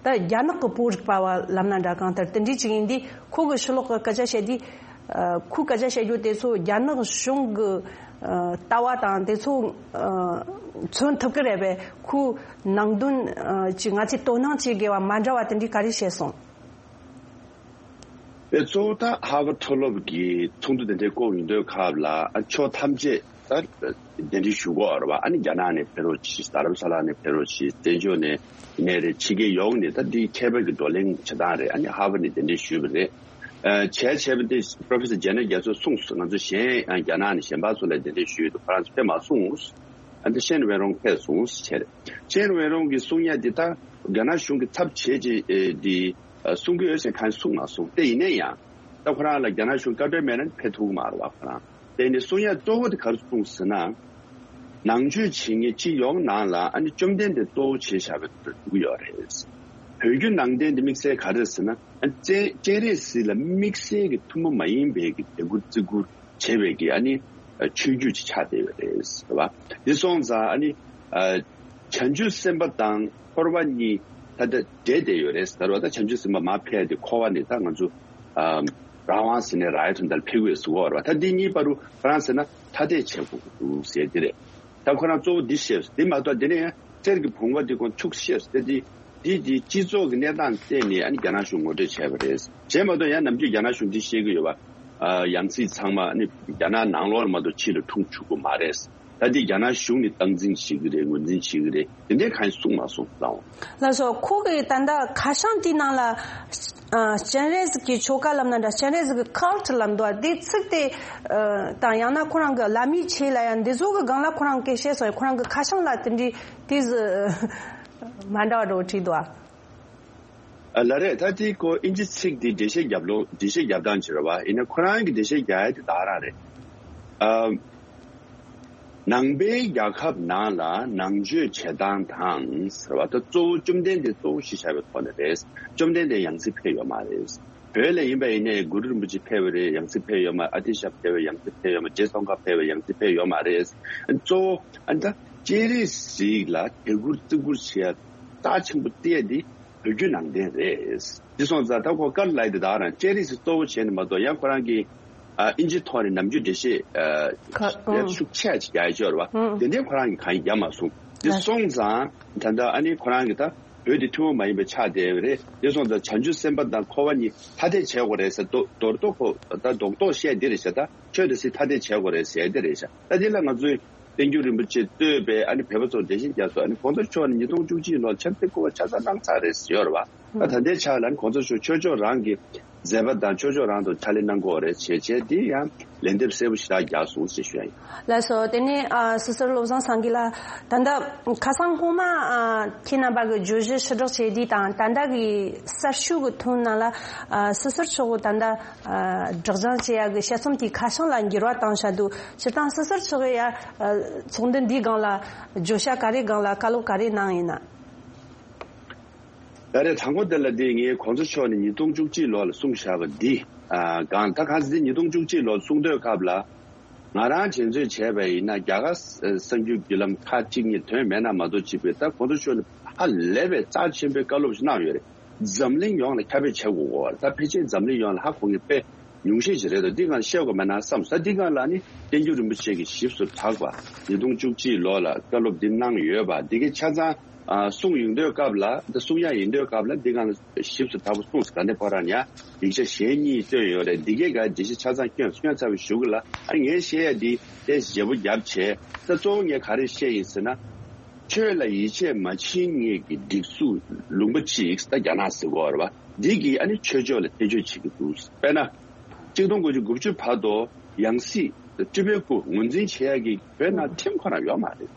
ད་རྒྱ་ནག་གི་བོད་རིག་པ་བ་ལབ་ན་འདྲ། གང་ལྟར་དེ་འདྲའི་ཅིག་ཡིན་དུས་ཁོ་གི་ཕྱི་ལོགས་གི་སྐད་ཆ་བཤད་དུས། ཨ་ཁོའི་སྐད་ཆ་བཤད་རྒྱུ་དེ་ཚོ་རྒྱ་ནག་གཞུང་གི་ཨ་ལྟ་བ་དང་དེ་ཚོ་ཨ་མཚོན་ཐུབ་ཀྱི་རེད་པས། ཁོའི་ནང་དོན་ཨ་ཅིག་ང་ཚོས་དོ་སྣང་བྱེད་དགོས་པ་མ་འདྲ་བ་དེ་འདྲའི་ག་རེ་བཤད་སོང་། དེ་གཙོ་བོ་ད་ཧར་ཝརཌ་མཐོ་སློབ་ཀྱི་ཚོགས་འདུ་དེ་འདྲའི་བསྐོང་ཡོང་དུས་སྐབས་ལ་ཨ་ཕྱོགས་ཐམས་ཅད་ད་གདན་འདྲེན་ཞུ་གི་ཡོད་རེད་བ། ཨ་ནི་རྒྱ་ནག་ནས་ཕེབས་རོགས་གྱིས། རྡ་རམ་ས་ལ་ནས་ཕེབས་རོགས་གྱིས། བཙན་བྱོལ་ནས་ནས་རེད། ཕྱི་རྒྱལ་ཡོངས་ནས་ད་འདི་མཁས་པ་གི་བགྲོ་གླེང་བྱེད་སྟངས་རེད། ཨ་ནི་ཧར་ཝརཌ་ནས་གདན་འདྲེན་ཞུས་པ་རེད། ཨ་བྱས་བྱས་པ་འདི་པྲོ་ཕེ་སར་ཇེ་ནར་རྒྱ་མཚོས་གསུངས་སོང་། ང་ཚོ་གཞན་ཨ་རྒྱ་ནག་ནས་གཞན་པ་ཚོ་ལ་གདན་འདྲེན་ཞུས་འདུག་ཁོ་རང་ཚོ་ཕེབས་མ་སོང་། ཨ་འདི་ཤན་ཝེ་རོང་ཕེབས་སོང་ཟེར་བྱས་རེད། ཤན་ཝེ་རོང་གི་གསུང་ཡ་འདི་ད་རྒྱ་ནག་གཞུང་གི་ཚབ་བྱས་བྱས་ཨེ་འདི་ཨ་གསུང་གི་ཡོད་ཟེར་གང་གསུངས་མ་སོང་། དེ་ཡིན་ན་ཡང་ད་ཁོ་རང་ལ་རྒྱ་ནག་གཞུང་བཀའ་འཁྲོལ་མེད་ན་ཕེབས་ཐུབ་ཀྱི་མ་རེད་བ། ཁོ་རང་དེ་ནི་གསུང་ཡ་གཙོ་བོ་དེ་ག་རེ་གསུངས་ཟེར་ན། ནང་ཆོས་བྱེད་མཁན་སྤྱི་ཡོངས་ནང་ལ་ཨ་ནི་བཅོམ་ལྡན་འདས་གཙོ་བོ་བྱས་བཞག་པའི་འདུག་གི་ཡོད་རེད། བོད་བརྒྱུད་ནང་བསྟན་དེ་དམིགས་བསལ་ག་རེ་ཟེར་ན། ཨ་སྤྱན་སྤྱན་རས་གཟིགས་ལ་དམིགས་བསལ་གྱི་ཐུན་མོང་མ་ཡིན་པའི་གི་དད་གུས་བརྩི་བཀུར་བྱེད་པའི་གི་ཨ་ནི་ཆོས་བརྒྱུད་ཅིག་ཆགས་བསྡད་ཡོད་རེད་ཟེར་བ། འདི་སོང་ཙང་ཨ་ནི་ཨ་བྱང་ཆུབ་སེམས་དཔའ་དང་འཁོར་བ་གཉིས་ད་ལྟ་འདྲེས་བསྡད་ཡོད་རེད་ཟེར་བ། ད་བྱང་ཆུབ་སེམས་དཔའ་མར་ཕེབས་ཏེ་འཁོར་བ་ནས་ད་ང་ཚོ་ཨ་རང་དབང་ཟེར་ནས་རང་ཡལ་དོན་དག་ལ་ཕེབས་ཀྱི་ཡོད་ཟེར་བ་རེད་བ། ད་འདི་གཉིས་བར་དུ་ཁོ་རང་ཟེར་ན་ཐ་དད་བྱེད་དགོས་ཀྱི་འདུག་ཟེར་འདི་རེད། ད་ཁོ་རང་གཙོ་བོ་འདི་བཤད། འདི་མ་གཏོགས་འདི་ནས་ཡང་གསེར་གྱི་བུང་བ་འདི་ཁོང་ཕྱུགས་བཤད་དེ་འདི་འདི་འདི་སྤྱི་ཚོགས་ཀྱི་གནས་སྟངས་བལྟས་ནས་ཨ་ནི་རྒྱ་ནག་གཞུང་ངོ་སྤྲོད་བྱས་པ་རེད། བྱས་མ་གཏོགས་ཡང་ནམ་རྒྱུན་རྒྱ་ནག་གཞུང་འདི་བཤད་ཀྱི་ཡོད་པ། ཨ་ཡང་སྲིད་ཚང་མ་ཨ་ནི་རྒྱ་ནག་ནང་ལོགས་ལ་མ་གཏོགས་ཕྱི་ལ་འཁྲུངས་བཅུག་གི་མ་རེད། ད་འདི་རྒྱ་ནག་གཞུང་ནས་སྟངས་འཛིན་བྱེད་ཀྱི་རེད། ངོས་འཛིན་བྱེད་ཀྱི་རེད། དེ་འདྲའི་གང་ཡང་གསུངས་མ་སོང་། ལགས་སོ། ཁོ་གི་ད་ལྟ་ཁ་བྱང་དེའི་ནང་ལ། ཨ། སྤྱན་རས་གཟིགས་ཀྱི་ཆོ་ག་ལབ་ན་འདྲ། སྤྱན་རས་གཟིགས་ཀྱི་ཁལ་ཊི་ལབ་འདུག་དེ་ཚིག་དེ། ཨ། དང་ཡང་ན་ཁོ་རང་གི་བླ་མའི་ཆོས་ལ་ཡང་འདི་ཚོ་གི་སྒང་ལ་ཁོ་རང་སྐད་བཤད་སོང་། ཁོ་རང་གི་ཁ་བྱང་ལ་དེ་འདྲའི་དེ་ཟི་མ་འདྲ་བ་འདྲ་བོ་བྲིས་འདུག་ཨ། ཨ། ལགས་རེད། ད་དེ་ཁོ་ཨིན་ཇི་ཚིག་དེ་འགྲེལ་བཤད་རྒྱབ་ལོ། འགྲེལ་བཤད་རྒྱབ་སྟངས་ཅིག་རེད་བ། ཡིན་ན་ཁོ་རང་གི་འགྲེལ་བཤད་རྒྱག་ཡ་དེ་ད་ག་རང་རེད། ཨ། ནང་པའི་རྒྱལ་ཁབ་ནང་ལ་ནང་ཆོས་བྱེད་སྟངས་དང་ཟེར་བ་ད་གཙོ་བོ་བཅོམ་ལྡན་འདས་གཙོ་བོ་གཞི་བཞག་པའི་ཐོག་ནས་རེད། བཅོམ་ལྡན་འདས་ཡང་སྲིད་ཕེབས་ཡོད་མ་རེད། བོད་ལ་ཡིན་པ་ཡིན་ནའི་གུ་རུ་རིན་པོ་ཆེ་ཕེབས་པ་རེད། ཡང་སྲིད་ཕེབས་ཡོད་མ། ཨ་ཏི་ཤ་ཕེབས་པ་ཡང་སྲིད་ཕེབས་ཡོད་མ། རྗེ་ཙོང་ཁ་ཕེབས་པ་ཡང་སྲིད་ཕེབས་ཡོད་མ་རེད། གཙོ་བོ་ཨ་ནི་ད་སྤྱན་རས་གཟིགས་ལ་དད་བཀུར་བརྩི་བཀུར་བྱེད་ཡ་རྩ་ཆེན་པོ་བལྟས་ཏེ། བོད་བརྒྱུད་ནང་བསྟན་རེད། འདི་སོང་ཙང་ད་ཁོ་ཀར་ལའི་དེ་དག་རང་སྤྱན་རས་གཟིགས་གཙོ་བོ་བྱས་ནས་མ་གཏོགས་ཡང་ཁོ་རང་གིས་ཨ་ཨིན་ཇི་ཐོག་ནས་ནམ་རྒྱུན་འགྲེལ་བཤད་ཨ་ཁ་ཡ་ཨང་ཤུགས་ཆེ་ཅིག་རྒྱག་ཡ་ཅིག་ཡོད་རེད་བ། ཨང་། དེ་འདྲའི་ཁོ་རང་གིས་གང་ཡང་རྒྱག་མ་སོང་། འདི་ལགས་སོ། སོང་ཙང་ད་ལྟ་ཨ་ནི་ཁོ་རང་གིས་ད་བོད་དེ་ཐུན་མོང་མ་ཡིན་པའི་ཆགས་བསྡད་པ་རེད། འདི་སོང་ཙང་བྱང་ཆུབ་སེམས་དཔའ་དང་འཁོར་བ་གཉིས་ཐ་དད་བྱེད་དགོས་རེད་ཟེར། མདོར་མདོར་ཐོག་ཁོ་ད་རྡོག་རྡོག་བཤད་འདི་རེད་ཤག་ད་ཆོས་དང་སྲིད་ཐ་དད་བྱེད་དགོས་རེད་ཟེར་འདི་རེད་ཤག་ད་འདི་ལ་ང་ཚོས། བསྟན་འགྱུར་རིན་པོ་ཆེ་བསྟོད་པའི་ཨ་ནི་བོད་པ་ཚོར་འགྲེལ་བཤད་རྒྱག་སོང་། ཨ་ནི་གོང་ས་མཆོག་ནས་ཉིས་སྟོང་བཅུ་གཅིག་ལོར་ཆབ་སྲིད་སྐུ་པར་ཆ་ཚང་གནང་ཚར་རེད་ཟེར་ཡོད་རེད་བ། ད་ད་ལྟའི་ཆ་ལ་ཨ་ནི་གོང་ས་མཆོག་ཆོས་ཕྱོགས་རང་གི་མཛད་པ་དང་ཆོས་ཕྱོགས་རང་དུ་ཕྱག་ལས་གནང་དགོས་རེད་བྱས་བྱས་འདི་ཡང་ལན་འདེབས་གསལ་པོ་ཞེ་དྲག་རྒྱག་སོང་ཞེས་ཞུ་ཡ་ཡིན། ལགས་སོ། དེ་ནས་ཨ་སོ་སོར་བློ་བཟང་སངས་རྒྱས་ལགས། ད་ལྟ་ཁ་སང་སྔོན་མ་ཨ་ཁྱེད་རྣམ་པ་གི་བརྗོད་གཞི་ཕྱིར་བསྒྲགས་བྱས་དུས་དང་ད་ལྟ་གི་གསར་ཤོག་གི་ཐོན་ནང་ལ་ཨ་སོ་སོར་ཕྱོགས་ད་ལྟ། ཨ། སྒྲིག་སྦྱང་བྱེད་ཡག་གི་དཔྱད་རྩོམ་དེའི་ཁ་བྱང་ལ་འགྱུར་བ་བཏང་བཞག་འདུག་སྤྱིར་བཏང་སོ་སོར་ཕྱོགས་ཡ། ཨ། ཚོགས་འདུ་འདིའི་སྒང་ལ་བརྗོད་བྱ་ག་རེ་སྒང་ལ་བཀའ་སློབ་ག་རེ་གནང་ཡིན་ན། ད་རེས་དང་པོ་དེ་ལ་འདི་ངས་གོང་ས་མཆོག་ནས་ཉིས་སྟོང་བཅུ་གཅིག་ལོ་ལ་གསུངས་བཞག་པ་འདི། ཨ། སྒང་ད་གང་ཟེར་ཉིས་སྟོང་བཅུ་གཅིག་ལོ་གསུང་དུས་སྐབས་ལ། ང་རང་འགྲན་རྩོད་བྱས་པ་ཡིན་ན་རྒྱ་གར་གསར་འགྱུར་བརྒྱུད་ལམ་ཁག་གཅིག་གཉིས་ཐོན་མེད་ན་མ་གཏོགས་བྱས་པའི་ད་གོང་ས་མཆོག་ནས་ཧ་ལས་པའི་རྩ་ཆེན་པོའི་བཀའ་སློབ་ཞིག་གནང་ཡོད་རེད། འཛམ་གླིང་ཡོངས་ལ་ཁྱབ་སྤེལ་བྱེད་དགོས་པ་རེད། ད་ཕལ་ཆེར་འཛམ་གླིང་ཡོངས་ལ་ཧ་གོ་མཁན་དཔེ་ཉུང་ཤས་ཤིག་རེད་དོ། འདི་སྒང་བཤད་དགོས་མེད་ན་བསམ་ས། འདི་སྒང་ལ་ནི་བསྟན་འགྱུར་རིན་པོ་ཆེ་གིས་ཞིབ་ཏུ་གྲགས་པ་ཉིས་སྟོང་བཅུ་གཅིག་ལོ་ལ་བཀའ་སློབ་འདི་གནང་ཡོད་པ་འདི་གའི་ཆ་ཚང་ཨ་གསུང་ཡོང་དུས་སྐབས་ལ་ད་གསུང་ཡ་ཡིན་དུས་སྐབས་ལ་འདི་སྒང་ལ་ཞིབ་ཏུ་དྲག་པོ་གསུངས་ས། ད་ནི་ཕོ་རང་ཡ་ཡིག་ཆ་གཞན་གཉིས་བཏོན་ཡོད་རེད། འདི་གའི་ག་འགྲེལ་བཤད་ཆ་ཚང་སྐྱོན་སྐྱོན་ཚར་བའི་གཞུག་ལ་ཨ་ངས་བཤད་ཡ་འདི་ཏོག་ཙམ་བརྗེ་པོ་བརྒྱབ་བྱས་ད་གཙོ་བོ་ངས་ག་རེ་བཤད་ཡིན་ཟེར་ན། ཆོས་ལ་ཡིད་ཆེས་མ་བྱེད་མཁན་གྱི་སྒྲིག་འཛུགས་ལུང་པ་གཅིག་ད་རྒྱ་ནག་ཟེར་གོ་རེད་བ། འདི་གིས་ཨ་ནི་ཆོས་ཕྱོགས་ལ་ཐེ་བྱུས་བྱེད་ཀྱི་འདུག་དཔེར་ན། གཅིག་སྟོང་དགུ་བརྒྱ་དགུ་བཅུ་བར་དུ་ཡང་སྲིད་སྤྲུལ་པའི་སྐུ་ངོས་འཛིན་བྱེད་ཡག་གི་བོད་ནང་ཁྲིམས་ཁོ་རང་ཡོད་མ་རེད།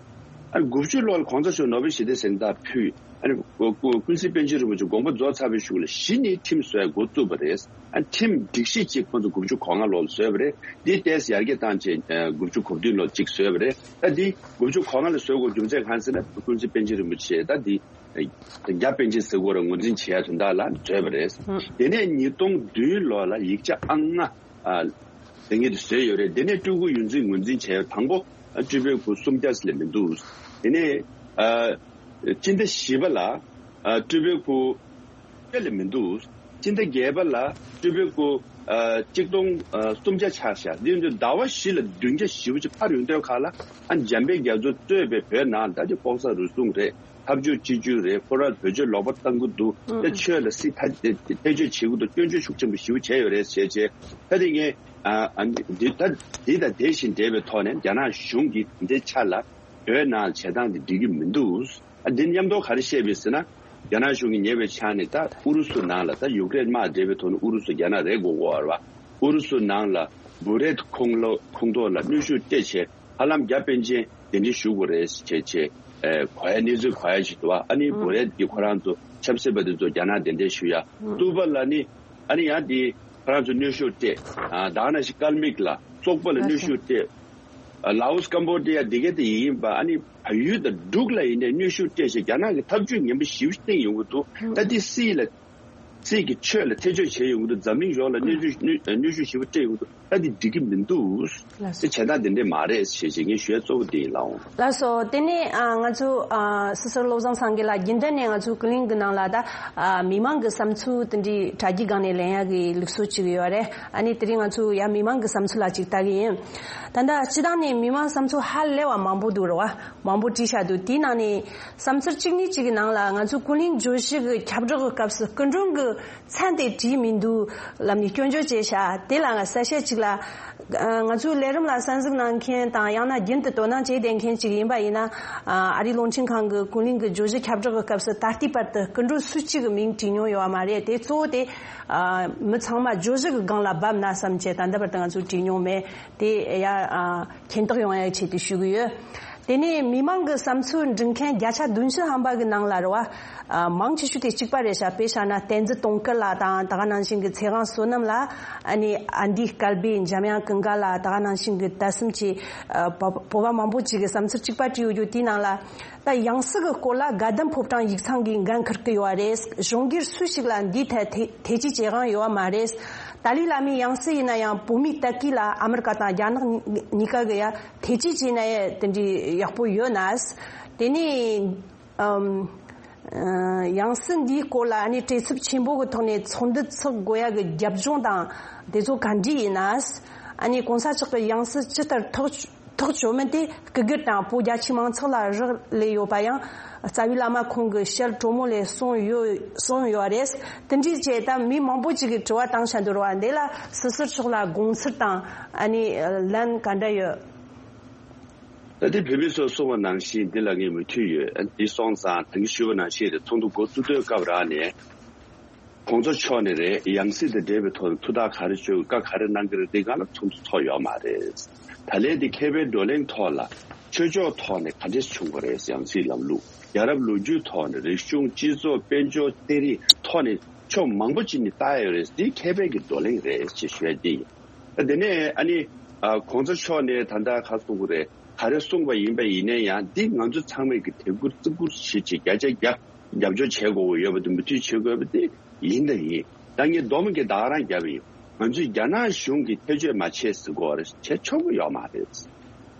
ཨ་ནི་དགུ་བཅུ་ལོ་ལ་གོང་ས་མཆོག་ནོ་བེལ་ཞི་བདེའི་གཟེངས་རྟགས་ཕུལ། ཨ་ནི་ཀུན་གཟིགས་པཎ་ཆེན་རིན་པོ་ཆེ་དགོངས་པ་རྫོགས་ཚར་བའི་གཞུག་ལ་གཞི་ནས་ཁྲིམས་བཟོ་ཡ་འགོ་བཙུགས་པ་རེད། ཨ་ནི་ཁྲིམས་སྒྲིག་གཞི་གཅིག་ཁོང་ཚོ་དགུ་བཅུ་གོ་ལྔ་ལོར་བཟོས་པ་རེད། འདི་ཏོག་ཙམ་ཡར་རྒྱས་བཏང་བྱས་དགུ་བཅུ་གོ་བདུན་ལོར་གཅིག་བཟོས་པ་རེད། ད་འདི་དགུ་བཅུ་གོ་ལྔ་ལ་བཟོ་དགོས་རྒྱུ་མཚན་གང་ཟེར་ན་ཀུན་གཟིགས་པཎ་ཆེན་རིན་པོ་ཆེ་ད་འདི་རྒྱ་པཎ་ཆེན་ཟེར་དགོས་རེད། ངོས་འཛིན་བྱེད་ཡ་དོན་དག་ལ་བཟོས་པ་རེད། དེ་ནས་ཉིས་སྟོང་བདུན་ལོ་ལ་ཡིག་ཆ་ཨང་ལྔ། ཨ། དེ་ངེས་དུ་བཟོས་ཡོད་རེད། དེ་ནས་སྤྲུལ་སྐུ་ཡོངས་འཛིན་ངོས་འཛིན་བྱས་དང་པོ་ཨ་སྤྲུལ་པའི་སྐུ་སུམ་བརྒྱ་ལས་མི་འདུག་དེ་ནས་ཨ་སྤྱི་ཟླ་བཞི་པ་ལ་ཨ་སྤྲུལ་པའི་སྐུ་བརྒྱ་ལས་མི་འདུག་སྤྱི་ཟླ་བརྒྱད་པ་ལ་སྤྲུལ་པའི་སྐུ་ཨ་གཅིག་སྟོང་ཨ་སུམ་བརྒྱ་ཆགས་ཤག་འདི་ཡིན་དུས་ཟླ་བ་བཞི་ལ་བདུན་བརྒྱ་ཞེ་པོ་ཅིག་འཕར་ཡོང་དུས་ཁ་ལ་ཨ་འཇམ་དཔལ་རྒྱ་མཚོ་གཙོས་པའི་བོད་ནང་ད་ཅིག་ལྐོག་ཟ་རུལ་སུངས་རེད། འཐབ་ཇུས་གཅིག་གྱུར་རེད། ཁོ་རང་བོད་ཆོས་ལོག་པ་བཏང་གི་འདུག་ཨ་ད་ཆོས་ལ་སྲིད་ཐ་ཐེ་བྱུས་བྱེད་ཀྱི་འདུག་སྐྱོན་བརྗོད་ཤུགས་ཆེན་པོ་ཞེ་པོ་བྱས་ཡོད་རེད་ཟེར་བྱས། ད་དེ་ངས་ཨ་ཨ་འདི་ད་འདི་དང་དེ་བཞིན་འབྲེལ་བའི་ཐོག་ནས་རྒྱ་ནག་གཞུང་གིས་འདི་ཆ་ལ་བོད་ནང་བྱེད་སྟངས་འདི་འགྲིག་གི་མི་འདུག་ཨ་འདི་མཉམ་དུ་ག་རེ་བཤད་པ་ཟེར་ན། རྒྱ་ནག་གཞུང་གིས་ཉེ་བའི་ཆར་ནས་ད་ཨུ་རུ་སུ་ནང་ལ་ད་ཡུཀ་རེན་དམག་འབྲེལ་བའི་ཐོག་ནས་ཨུ་རུ་སུ་རྒྱ་ནག་རེད་དགོས་དགོས་པ་རེད་བ། ཨུ་རུ་སུ་ནང་ལ་བུ་རེད་ཁོངས་ལོ་ཁོངས་གཏོགས་ལ་གནོན་ཤུགས་སྤྲད་བྱས། ཧ་ལམ་རྒྱ་པཎ་ཆེན་གདན་འདྲེན་ཞུ་དགོས་རེད་ཟེར་བྱས་བྱས། ཨེ་གོ་ཡ་གནས་ཚུལ་གོ་ཡ་ཞིག་འདུག་བ། ཨ་ནི་ཨུ་བུ་རེད་ཀྱི་ཁོ་རང་ཚོ་ཆབ་སྲིད་པ་དེ་ཚོ་རྒྱ་ནག་གདན་འདྲེན་ཞུ་ཡ། ཨུ་ཏུ་པ་ལ་ནི་ཨ་ནི་ཡང་དེ་ཁོ་རང་ཚོ་གནོན་ཤུགས་སྤྲད། ཨ་ད་ག་ནང་བཞིན་ཀལ་མིག་ལ་སོག་པོ་ལ་གནོན་ཤུགས་སྤྲད། ཨ་ལའོ་སི་ཀམ་བོ་ཌི་ཡ་འདི་གའི་དེ་ཡིན་པ། ཨ་ནི་བལ་ཡུལ་དང་འབྲུག་ལ་ཡིན་ནའི་གནོན་ཤུགས་སྤྲད་བྱས་རྒྱ་ནག་གི་ཐབས་ཇུས་ངན་པ་ཞེ་པོ་བསྟན་ཡོང་གི་འདུག་ད་དེ་སྲིད་ལ། སྲིད་ཀྱི་ཆོས་ལ་ཐེ་བྱུས་བྱས་ཡོང་གི་འདུག་འཛམ་གླིང་ཡོངས་ལ་གནོན་ཤུགས་གནོན་གནོན་ཤུགས་ཞེ་པོ་སྤྲད་ཡོང་གི་འདུག་ད་འདི་འགྲིག་གི་མི་འདུག་ལགས་སོ། དེ་བྱེད་སྟངས་དེ་འདྲས་མ་རེད་ཞེས་ཞེས་ངས་ཞུ་ཡ་གཙོ་བོ་དེ་ཡིན་ལགས། ལགས་སོ། དེ་ནས་ཨ་ང་ཚོ་ཨ་སོ་སོར་བློ་བཟང་སངས་རྒྱས་ལགས། རྒྱུན་ལྡན་ནས་ང་ཚོ་ཀུན་གླེང་གི་ནང་ལ་ད་ཨ་མི་མང་གི་བསམ་ཚུལ་དེ་འདྲའི་དྲ་རྒྱའི་སྒང་ནས་ལེན་ཡ་གི་ལུགས་སྲོལ་ཅིག་ཡོད་རེད། ཨ་ནི་དེ་རིང་ང་ཚོ་ཡ་མི་མང་གི་བསམ་ཚུལ་ལ་ཅིག་ལྟ་གི་ཡིན། ད་ལྟ་སྤྱི་བཏང་ནས་མི་མང་བསམ་ཚུལ་ཧ་ལས་པ་མང་པོ་འདུག་རེད་བ། མང་པོ་བྲིས་བཞག་འདུག་དེའི་ནང་ནས་བསམ་ཚུལ་གཅིག་གཉིས་གཅིག་གི་ནང་ལ་ང་ཚོའི་ཀུན་གླེང་བརྗོད་གཞི་གི་ཁྱབ་བསྒྲགས་ཀྱི་སྐབས་སུ་སྐུ་མགྲོན་གྱི་ མཚན་དེ་བྲིས་མི་འདུག་ལབ་ནས་སྐྱོན་བརྗོད་བྱས་ཤག་དེ་ལ་ང་གསལ་བཤད་ཅིག་ལ། ང་ཚོའི་ལས་རིམ་ལ་གསན་གཟིགས་གནང་མཁན་དང་ཡང་ན་རྒྱུན་དུ་དོ་སྣང་བྱས་བསྡད་མཁན་ཅིག་ཡིན་པ་ཡིན་ན། ཨ་རིའི་རླུང་འཕྲིན་ཁང་གི་ཀུན་གླེང་གི་བརྗོད་གཞི་ཁྱབ་བསྒྲགས་ཀྱི་སྐབས་སུ་ད་ལྟའི་བར་དུ་སྐུ་མགྲོན་སུ་གཅིག་གི་མིང་བྲིས་མྱོང་ཡོད་པ་མ་རེད། དེ་གཙོ་བོ་དེ་མི་ཚང་མ་བརྗོད་གཞི་གི་སྒང་ལ་བབས་ན་བསམ་བྱས། ད་ལྟ་བར་དུ་ང་ཚོས་བྲིས་མྱོང་མེད། དེ་ཡ་མཁྱེན་རྟོགས་ཡོང་ཡའི་ཆེད་དུ་ཞུ་གི་ཡོད། དེ་ནས་མི་མང་གི་བསམ་ཚུལ་འབྲི་མཁན་བརྒྱ་ཆ་བདུན་ཅུ་ཐམ་པ་གི་ནང་ལ་རེད་བ། ཨ་མང་ཆེ་ཤོས་དེ་གཅིག་པ་རེད་ཤག་དཔེ་བཞག་ན་བསྟན་འཛིན་དུང་དཀར་ལགས་དང་། ད་ག་ནང་བཞིན་གྱི་ཚེ་དབང་བསོད་ནམས་ལགས། ཨ་ནི་ཨ་འདི་སྐལ་བྷེ། འཇམ་དབྱངས་ཀུན་དགའ་ལགས། ད་ག་ནང་བཞིན་གྱི་ད་གསུམ་གྱི་ཨ་བོད་བོད་པ་མང་པོ་ཅིག་གི་བསམ་ཚུལ་གཅིག་པ་བྲིས་ཡོད་རྒྱུ་དེའི་ནང་ལ། ད་ཡང་སྲིད་ཀྱི་སྐོར་ལ་དགའ་ལྡན་ཕོ་བྲང་ཡིག་ཚང་གིས་འགན་འཁུར་གྱི་ཡོད་པ་རེད། གཞུང་སྒེར་སུ་ཞིག་ལ་འདིའི་ཐད་ཐེ་ཐེ་ཇུས་བྱེད་དབང་ཡོད་པ་མ་རེད། ཏཱ་ལའི་བླ་མའི་ཡང་སྲིད་ཡིན་ན་ཡང་བོད་མིའི་ལྟ་སྐུལ་ལ་ཨ་མི་རི་ཀ་དང་རྒྱ་ནག་གཉིས་ཀ་གི་ཡ་ཐེ་ཇུས་བྱས་ན་ཡ་དེ་འདྲའི་ཡག་པོ་ཡོད་ན། དེ་ནས་ཨམ། ཡང་སྲིད་འདིའི་སྐོར་ལ་ཨ་ནི་བྲེལ་འཚུབ་ཆེན་པོ་གི་ཐོག་ནས་ཚོགས་འདུ་ཚོགས་དགོས་ཡ་གི་རྒྱབ་ལྗོངས་དང་དེ་ཚོ་ག་འདྲ་ཡིན་ན། ཨ་ནི་གོང་ས་མཆོག་གི་ཡང་སྲིད་ཇི་ལྟར་ཐག་ཐག་ཆོད་མིན་དེ་སྐུ་སྒེར་དང་བོད་རྒྱ་ཆེའི་མང་ཚོགས་ལ་རག་ལས་ཡོད་པ་ཡང་རྩ་བའི་བླ་མ་ཁོང་གི་ཞལ་དྲོན་མོ་ལས་གསུངས་ཡོད་གསུངས་ཡོད་རེད། དེ་འདྲའི་བྱས་ད་མི་མང་པོ་ཅིག་གིས་དྲི་བ་བཏང་བྱ་འདུག་ར་བ། འདི་ལ་སི་ཟུར་མཆོག་ལ་དགོངས་ཚུལ་དང་ཨ་ནི་ལན་ག་འདྲ་ཡོད། ད་དེ་བོད་མི་ཚོས་གསུངས་པ་ནང་བཞིན་འདི་ལ་ངས་མོས་མཐུན་ཡོད། འདི་སོང་ཙང་ད་གིན་ཞུས་པ་ནང་བཞིན་རེད། ཚོགས་འདུ་འགོ་བཙུགས་དུས་སྐབས་རག་ནས། གོང་ས་མཆོག་ནས་རེད། ཡང་སྲིད་དང་འབྲེལ་བའི་ཐོག་ནས་ཐུགས་ཐག་ག་རེ་གཅོད། བཀའ་ག་རེ་གནང་གི་རེད། འདི་སྒང་ལ་ཚོགས་འདུ་ཚོགས་ཡོད་མ་རེད། ད་ལན་འདི་མཁས་པའི་བགྲོ་གླེང་ཐོག་ལ་ཆོས་ཕྱོགས་ཐོག་ནས་ག་འདྲས་བྱུང་བ་རེད། ཡང་སྲིད་ལམ་ལུགས་རྒྱལ་རབས་ལོ་རྒྱུས་ཐོག་ནས་རིག་གཞུང་སྤྱི་ཚོགས་དཔལ་འབྱོར་སྟེ་རིགས་ཐོག་ནས་ཕྱོགས་མང་པོ་ཅིག་ནས་ལྟ་ཡོད་རེད། འདི་མཁས་པའི་གི་བགྲོ་གླེང་རེད་ཅེས་ཞུ་ཡ་འདི་ཡིན། ད་དེ་ནས་ཨ་ནི་ཨ་གོང་ས་མཆོག་ནས་ད་ལྟ་ག་གསུང་གི་རེད། ག་རེ་གསུངས་པ་ཡིན་པ་ཡིན་ན་ཡང་འདི་ང་ཚོ་ཚང་མས་ཀྱི་དད་བཀུར་བརྩི་བཀུར་བྱེད་ཅིག་བརྒྱ་ཆ་བརྒྱ་རྒྱབ་སྐྱོར་བྱེད་དགོས་ཀྱི་ཡོད་པ་དང་མོས་མཐུན་བྱེད་དགོས་པ་དེ་ཡིན་དང་ཡིན། ད་ངས་སྡོམ་གྱི་ད་ག་རང་བརྒྱབ་ཡིན། ང་ཚོས་རྒྱ་ནག་གཞུང་གིས་ཐེ་བྱུས་མ་བྱས་ཟེར་དགོས་རེད། བྱེད་ཆོག་གི་ཡོད་མ་རེད།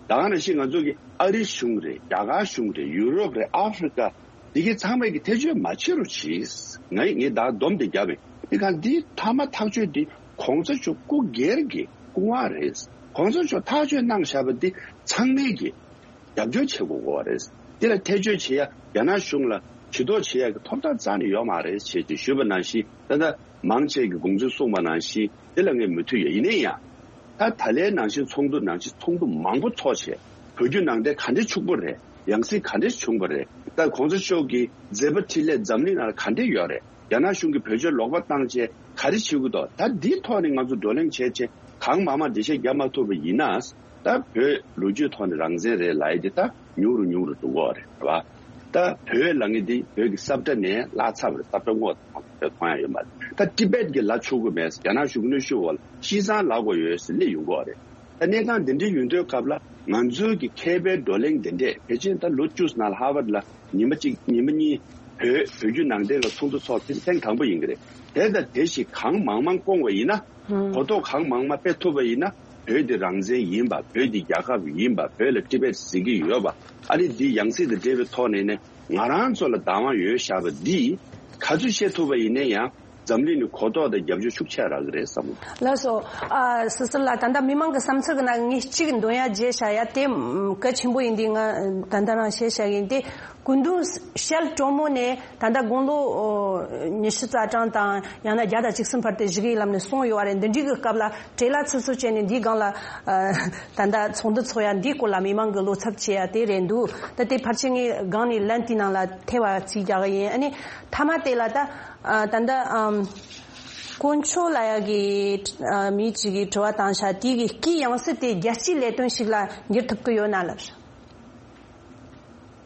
ད་ག་ནང་བཞིན་ང་ཚོ་གི་ཨ་རི་གཞུང་རེད། རྒྱ་གར་གཞུང་རེད། ཡུ་རོབ་རེད། ཨ་ཧྥེ་རི་ཀ་འདི་གའི་ཚང་མས་ཀྱི་ཐེ་བྱུས་མ་བྱེད་རོགས་གྱིས། ངས་ངས་ད་སྡོམ་དེ་བརྒྱབ་ཡིན། དེ་ག་འདི་མཐའ་མ་ཐག་གཅོད་འདི་གོང་ས་མཆོག་སྐུ་སྒེར་གྱི་སྐུ་དབང་རེད། གོང་ས་མཆོག་ཐག་གཅོད་གནང་བཞག་པ་འདི་ཚང་མས་ཀྱི་རྒྱབ་སྐྱོར་བྱེད་དགོས་ཀྱི་རེད། འདི་ལ་ཐེ་བྱུས་བྱེད་ཡ་རྒྱ་ནག་གཞུང་ལ་ཇུས་གཏོགས་བྱེད་ཡ་གི་ཐོབ་ཐང་རྩ་ནས་ཡོད་མ་རེད་ཅེས་ཅིག་ཞུས་པ་ནང་བཞིན། ད་ལྟ་མང་ཆེ་གི་དགོངས་ཚུལ་གསུངས་པ་ནང་བཞིན་འདི་ལ་ངས་མོས་མཐུན་ཡོད། ཡིན་ན་ཡང་ད་ད་ལན་ནང་བཞིན་ཚོགས་འདུ་ནང་བཞིན་ཚོགས་འདུ་མང་པོ་ཚོགས་བྱས། བོད་བརྒྱུད་ནང་བསྟན་ག་འདྲས་ཕྱུག་པོ་རེད། ཡང་སྲིད་ག་འདྲས་བྱུང་བ་རེད། ད་གོང་ས་མཆོག་གི་མཛད་པ་འཕྲིན་ལས་འཛམ་གླིང་ནང་ལ་ག་འདྲས་ཡོད་རེད། རྒྱ་ནག་གཞུང་གིས་བོད་ཆས་ལོག་པ་བཏང་བྱས་ག་རེ་བྱེད་ཀྱི་འདུག་ད་འདིའི་ཐོག་ནས་ང་ཚོ་བགྲོ་གླེང་བྱས་བྱས་གང་མང་མང་འགྲེལ་བཤད་རྒྱག་མ་ཐུབ་པ་ཡིན་ན། ད་བོད་ལོ་རྒྱུས་ཐོག་ནས་རང་བཙན་རེད་ལབ་ཡ་དེ་ད་ཉུང་རུ་ཉུང་རུ་འགྲོ་གི་རེད་བ། ད་བོད་ལབ་མཁན་དེ་བོད་ཀྱི་ས་བཀྲ་ནས་བརླག་ཚར་བ་རེད། ས་བཀྲ་སྔོག་བཏང་བ་རེད། མཐོང་ཡ་ཡོད་མ་རེད། ད་ཊི་བེཊ་གི་ལ་ཆོག་གི་མེད། རྒྱ་ནག་གཞུང་གནོན་ཤུགས་འོག་ལ་ཤི་ཚང་ལབ་དགོས་ཡོད་ཟེར་སླེབས་ཡོང་གི་རེད། ད་གནས་སྟངས་འདི་འདྲའི་ཡོང་དུས་སྐབས་ལ་ང་ཚོའི་གི་མཁས་པའི་བགྲོ་གླེང་འདི་འདྲས་ཕལ་ཆེར་ད་ལོ་བཅུ་ཙམ་ནང་ལ་ཧར་ཝརཌ་ལ་ཉི་མ་གཅིག་ཉི་མ་གཉིས་བོད་བོད་བརྒྱུད་ནང་བསྟན་ལ་ཚོགས་འདུ་ཚོགས། དེ་ཐེངས་དང་པོ་ཡིན་གི་རེད། དེ་དང་དེ་བཞིན་གང་མང་མང་བསྐོང་བ་ཡིན་ན། གོ་རྟོགས་གང་མང་མང་སྤེལ་ཐུབ་པ་ཡིན་ན། བོད་འདི་རང་བཙན་ཡིན་པ། བོད་འདི་རྒྱལ་ཁབ་ཡིན་པ། བོད་ལ་ཊི་བེཊ་ཟེར་གྱི་ཡོད་པ། ཨ་རི་འདི་ཡང་སྲིད་དང་འབྲེལ་བའི་ཐོག་ནས་ནས་ང་རང་ཚོ་ལ་བདག་དབང་ཡོད་བཞག་པ་འདི་ག་ཚོད་བཤད་ཐུབ་པ་ཡིན་ན་ཡང་འཛམ་གླིང་ནས་གོ་རྟོགས་དང་རྒྱབ་སྐྱོར་ཤུགས་ཆེ་རག་གི་རེད་བསམ། ལགས་སོ། ཨ་སི་སི་ལགས། ད་ལྟ་མི་མང་གི་བསམ་ཚུལ་གི་ནང་ངས་གཅིག་འདོན་ཡ་བརྗེད་བཞག་ཡ་དེ་གལ་ཆེན་པོ་ཡིན་དུས་ང་ད་ལྟ་རང་བཤད་བཞག་ཡིན་ཏེ། སྐུ་མདུན་ཞལ་དྲོན་མོ་ནས་ད་ལྟ་དགུང་ལོ་ཨོ་ཉི་ཤུ་རྩ་གྲངས་དང་ཡང་ན་བརྒྱ་དང་བཅུ་གསུམ་བར་དུ་བཞུགས་ཡིན་ལབ་ནས་གསུངས་ཡོད་པ་རེད། འདི་འདྲའི་གི་སྐབས་ལ་བྲེལ་བ་ཚུབ་ཚུབ་བྱས་ནས་འདིའི་སྒང་ལ་ཨ་ད་ལྟ་ཚོགས་འདུ་ཚོགས་ཡ་འདིའི་སྐོར་ལ་མི་མང་གི་བློ་འཚབ་བྱེད་ཡ་དེ་རེད་འདུག་ད་དེ་ཕལ་ཆེར་ངས་སྒང་ནས་ལན་དེའི་ནང་ལ་ཐེ་བ་རྩིས་རྒྱག་གི་ཡིན། ཨ་ནི་མཐའ་མ་དེ་ལ་ད་ཨ་ད་ལྟ་ཨམ་དཀོན་མཆོག་ལ་ཡ་གི་ཨ་མི་གཅིག་གིས་དྲི་བ་བཏང་ཤག་དེའི་གི་སྐུའི་ཡང་སྲིད་དེ་རྒྱལ་སྤྱིའི་ལས་དོན་ཞིག་ལ་འགྱུར་ཐུབ་ཀྱི་ཡོད་ན་ལབ།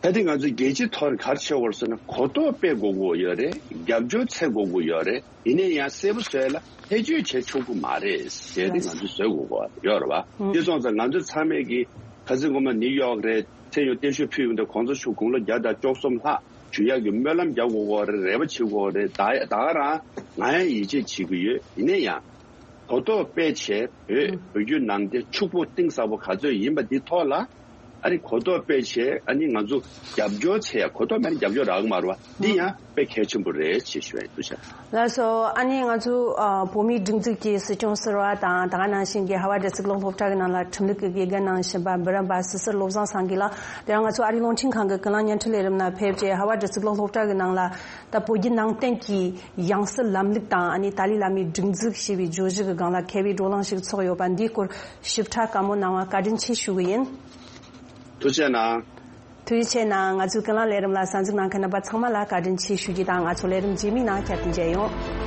ད་དེ་ང་ཚོས་རྒྱལ་སྤྱིའི་ཐོག་ནས་ག་རེ་བྱེད་དགོས་རེད་ཟེར་ན། གོ་རྟོགས་སྤེལ་དགོས་ཀྱི་ཡོད་རེད། རྒྱབ་སྐྱོར་འཚོལ་དགོས་ཀྱི་ཡོད་རེད། ཡིན་ན་ཡང་གསལ་པོ་བཟོས་ལ་ཐེ་བྱུས་བྱེད་ཆོག་གི་མ་རེད་ཟེར་ཏེ་ང་ཚོས་བཟོ་དགོས་ཀྱི་ཡོད་རེད་བ། དེ་སོང་ཙང་ང་ཚོ་ཚང་མས་ཀྱི་ཁ་སང་སྔོན་མ་ནིའུ་ཡོག་རེད། མཚན་ཡོད་བརྟན་བཞུགས་ཕུལ་ཡོང་དུས་གོང་ས་མཆོག་དགུང་ལོ་བརྒྱ་དང་བཅུ་གསུམ་ལྷག་བཞུགས་ཡག་གི་སྨོན་ལམ་རྒྱག་དགོས་ཀྱི་རེད། རེ་བ་བྱེད་དགོས་ཀྱི་རེད། ད་ད་ག་རང་ང་ཡང་ཡིད་ཆེས་བྱེད་ཀྱི་ཡོད། ཡིན་ན་ཡང་གོ་རྟོགས་སྤེལ་བྱས་བོད་བོད་བརྒྱུད་ནང་བསྟན་ཕྱུག་པོ་གཏིང་ཟབ་པོ་ག་ཚོད་ཡིན་པ་འདི་ཐོག་ལ། ཨ་ནི་གོ་རྟོགས་སྤེལ་བྱས། ཨ་ནི་ང་ཚོ་རྒྱབ་སྐྱོར་བྱས་ཡ། གོ་རྟོགས་མེད་ན་རྒྱབ་སྐྱོར་རག་གི་མ་རེད་བ། འདི་ཡང་དཔེ་གལ་ཆེན་པོ་རེད་ཅེས་ཞུ་ཡ་ཡིན། ཐུགས་རྗེ་ཆེ། ལགས་སོ། ཨ་ནི་ང་ཚོ་ཨ་བོད་མིའི་སྒྲིག་འཛུགས་ཀྱི་སྲིད་སྐྱོང་ཟུར་པ་དང་། ད་ག་ནང་བཞིན་གྱི་ཧ་ཝ་དྲ་ཚིགས་ལོག་སློབ་གྲྭ་གི་ནང་ལ་ཁྲིམས་ལུགས་ཀྱི་དགེ་རྒན་གནང་བཞིན་པ་འབུམ་རམས་པ་སི་སི་བློ་བཟང་སངས་རྒྱས་ལགས། དེ་རིང་ང་ཚོ་ཨ་རིའི་རླུང་འཕྲིན་ཁང་གི་ཀུན་གླེང་བརྙན་འཕྲིན་ལས་རིམ་ནང་ཕེབས་རྗེས། ཧ་ཝ་དྲ་ཚིགས་ལོག་སློབ་གྲྭ་གི་ནང་ལ་ད་བོད་བརྒྱུད་ནང་བསྟན་གྱི་ཡང་སྲིད་ལམ་ལུགས་དང་། ཨ་ནི་ཏཱ་ལའི་བླ་མའི་སྒྲིག་འཛུགས་ཞེས་པའི་བརྗོད་གཞི་གི་སྒང་ལ་མཁས་པའི་བགྲོ་གླེང་ཞིག་ཚོགས་ཡོད་པ་འདིའི་སྐོར་ཞིབ་ཕྲ་བཀའ་མོལ་གནང་བར་བཀའ་དྲིན་ཆེ་ཞུ་གི་ཡིན། ཐུགས་རྗེ་གནང་། ཐུགས་རྗེ་ཆེ་གནང་། ང་ཚོའི་ཀུན་གླེང་ལས་རིམ་ལ་གསན་གཟིགས་གནང་མཁན་རྣམ་པ་ཚང་མ་ལ་བཀའ་དྲིན་ཆེ་ཞུ་རྒྱུ་དང་། ང་ཚོ་ལས་རིམ་རྗེས་མའི་ནང་བསྐྱར་དུ་མཇལ་ཡོང་།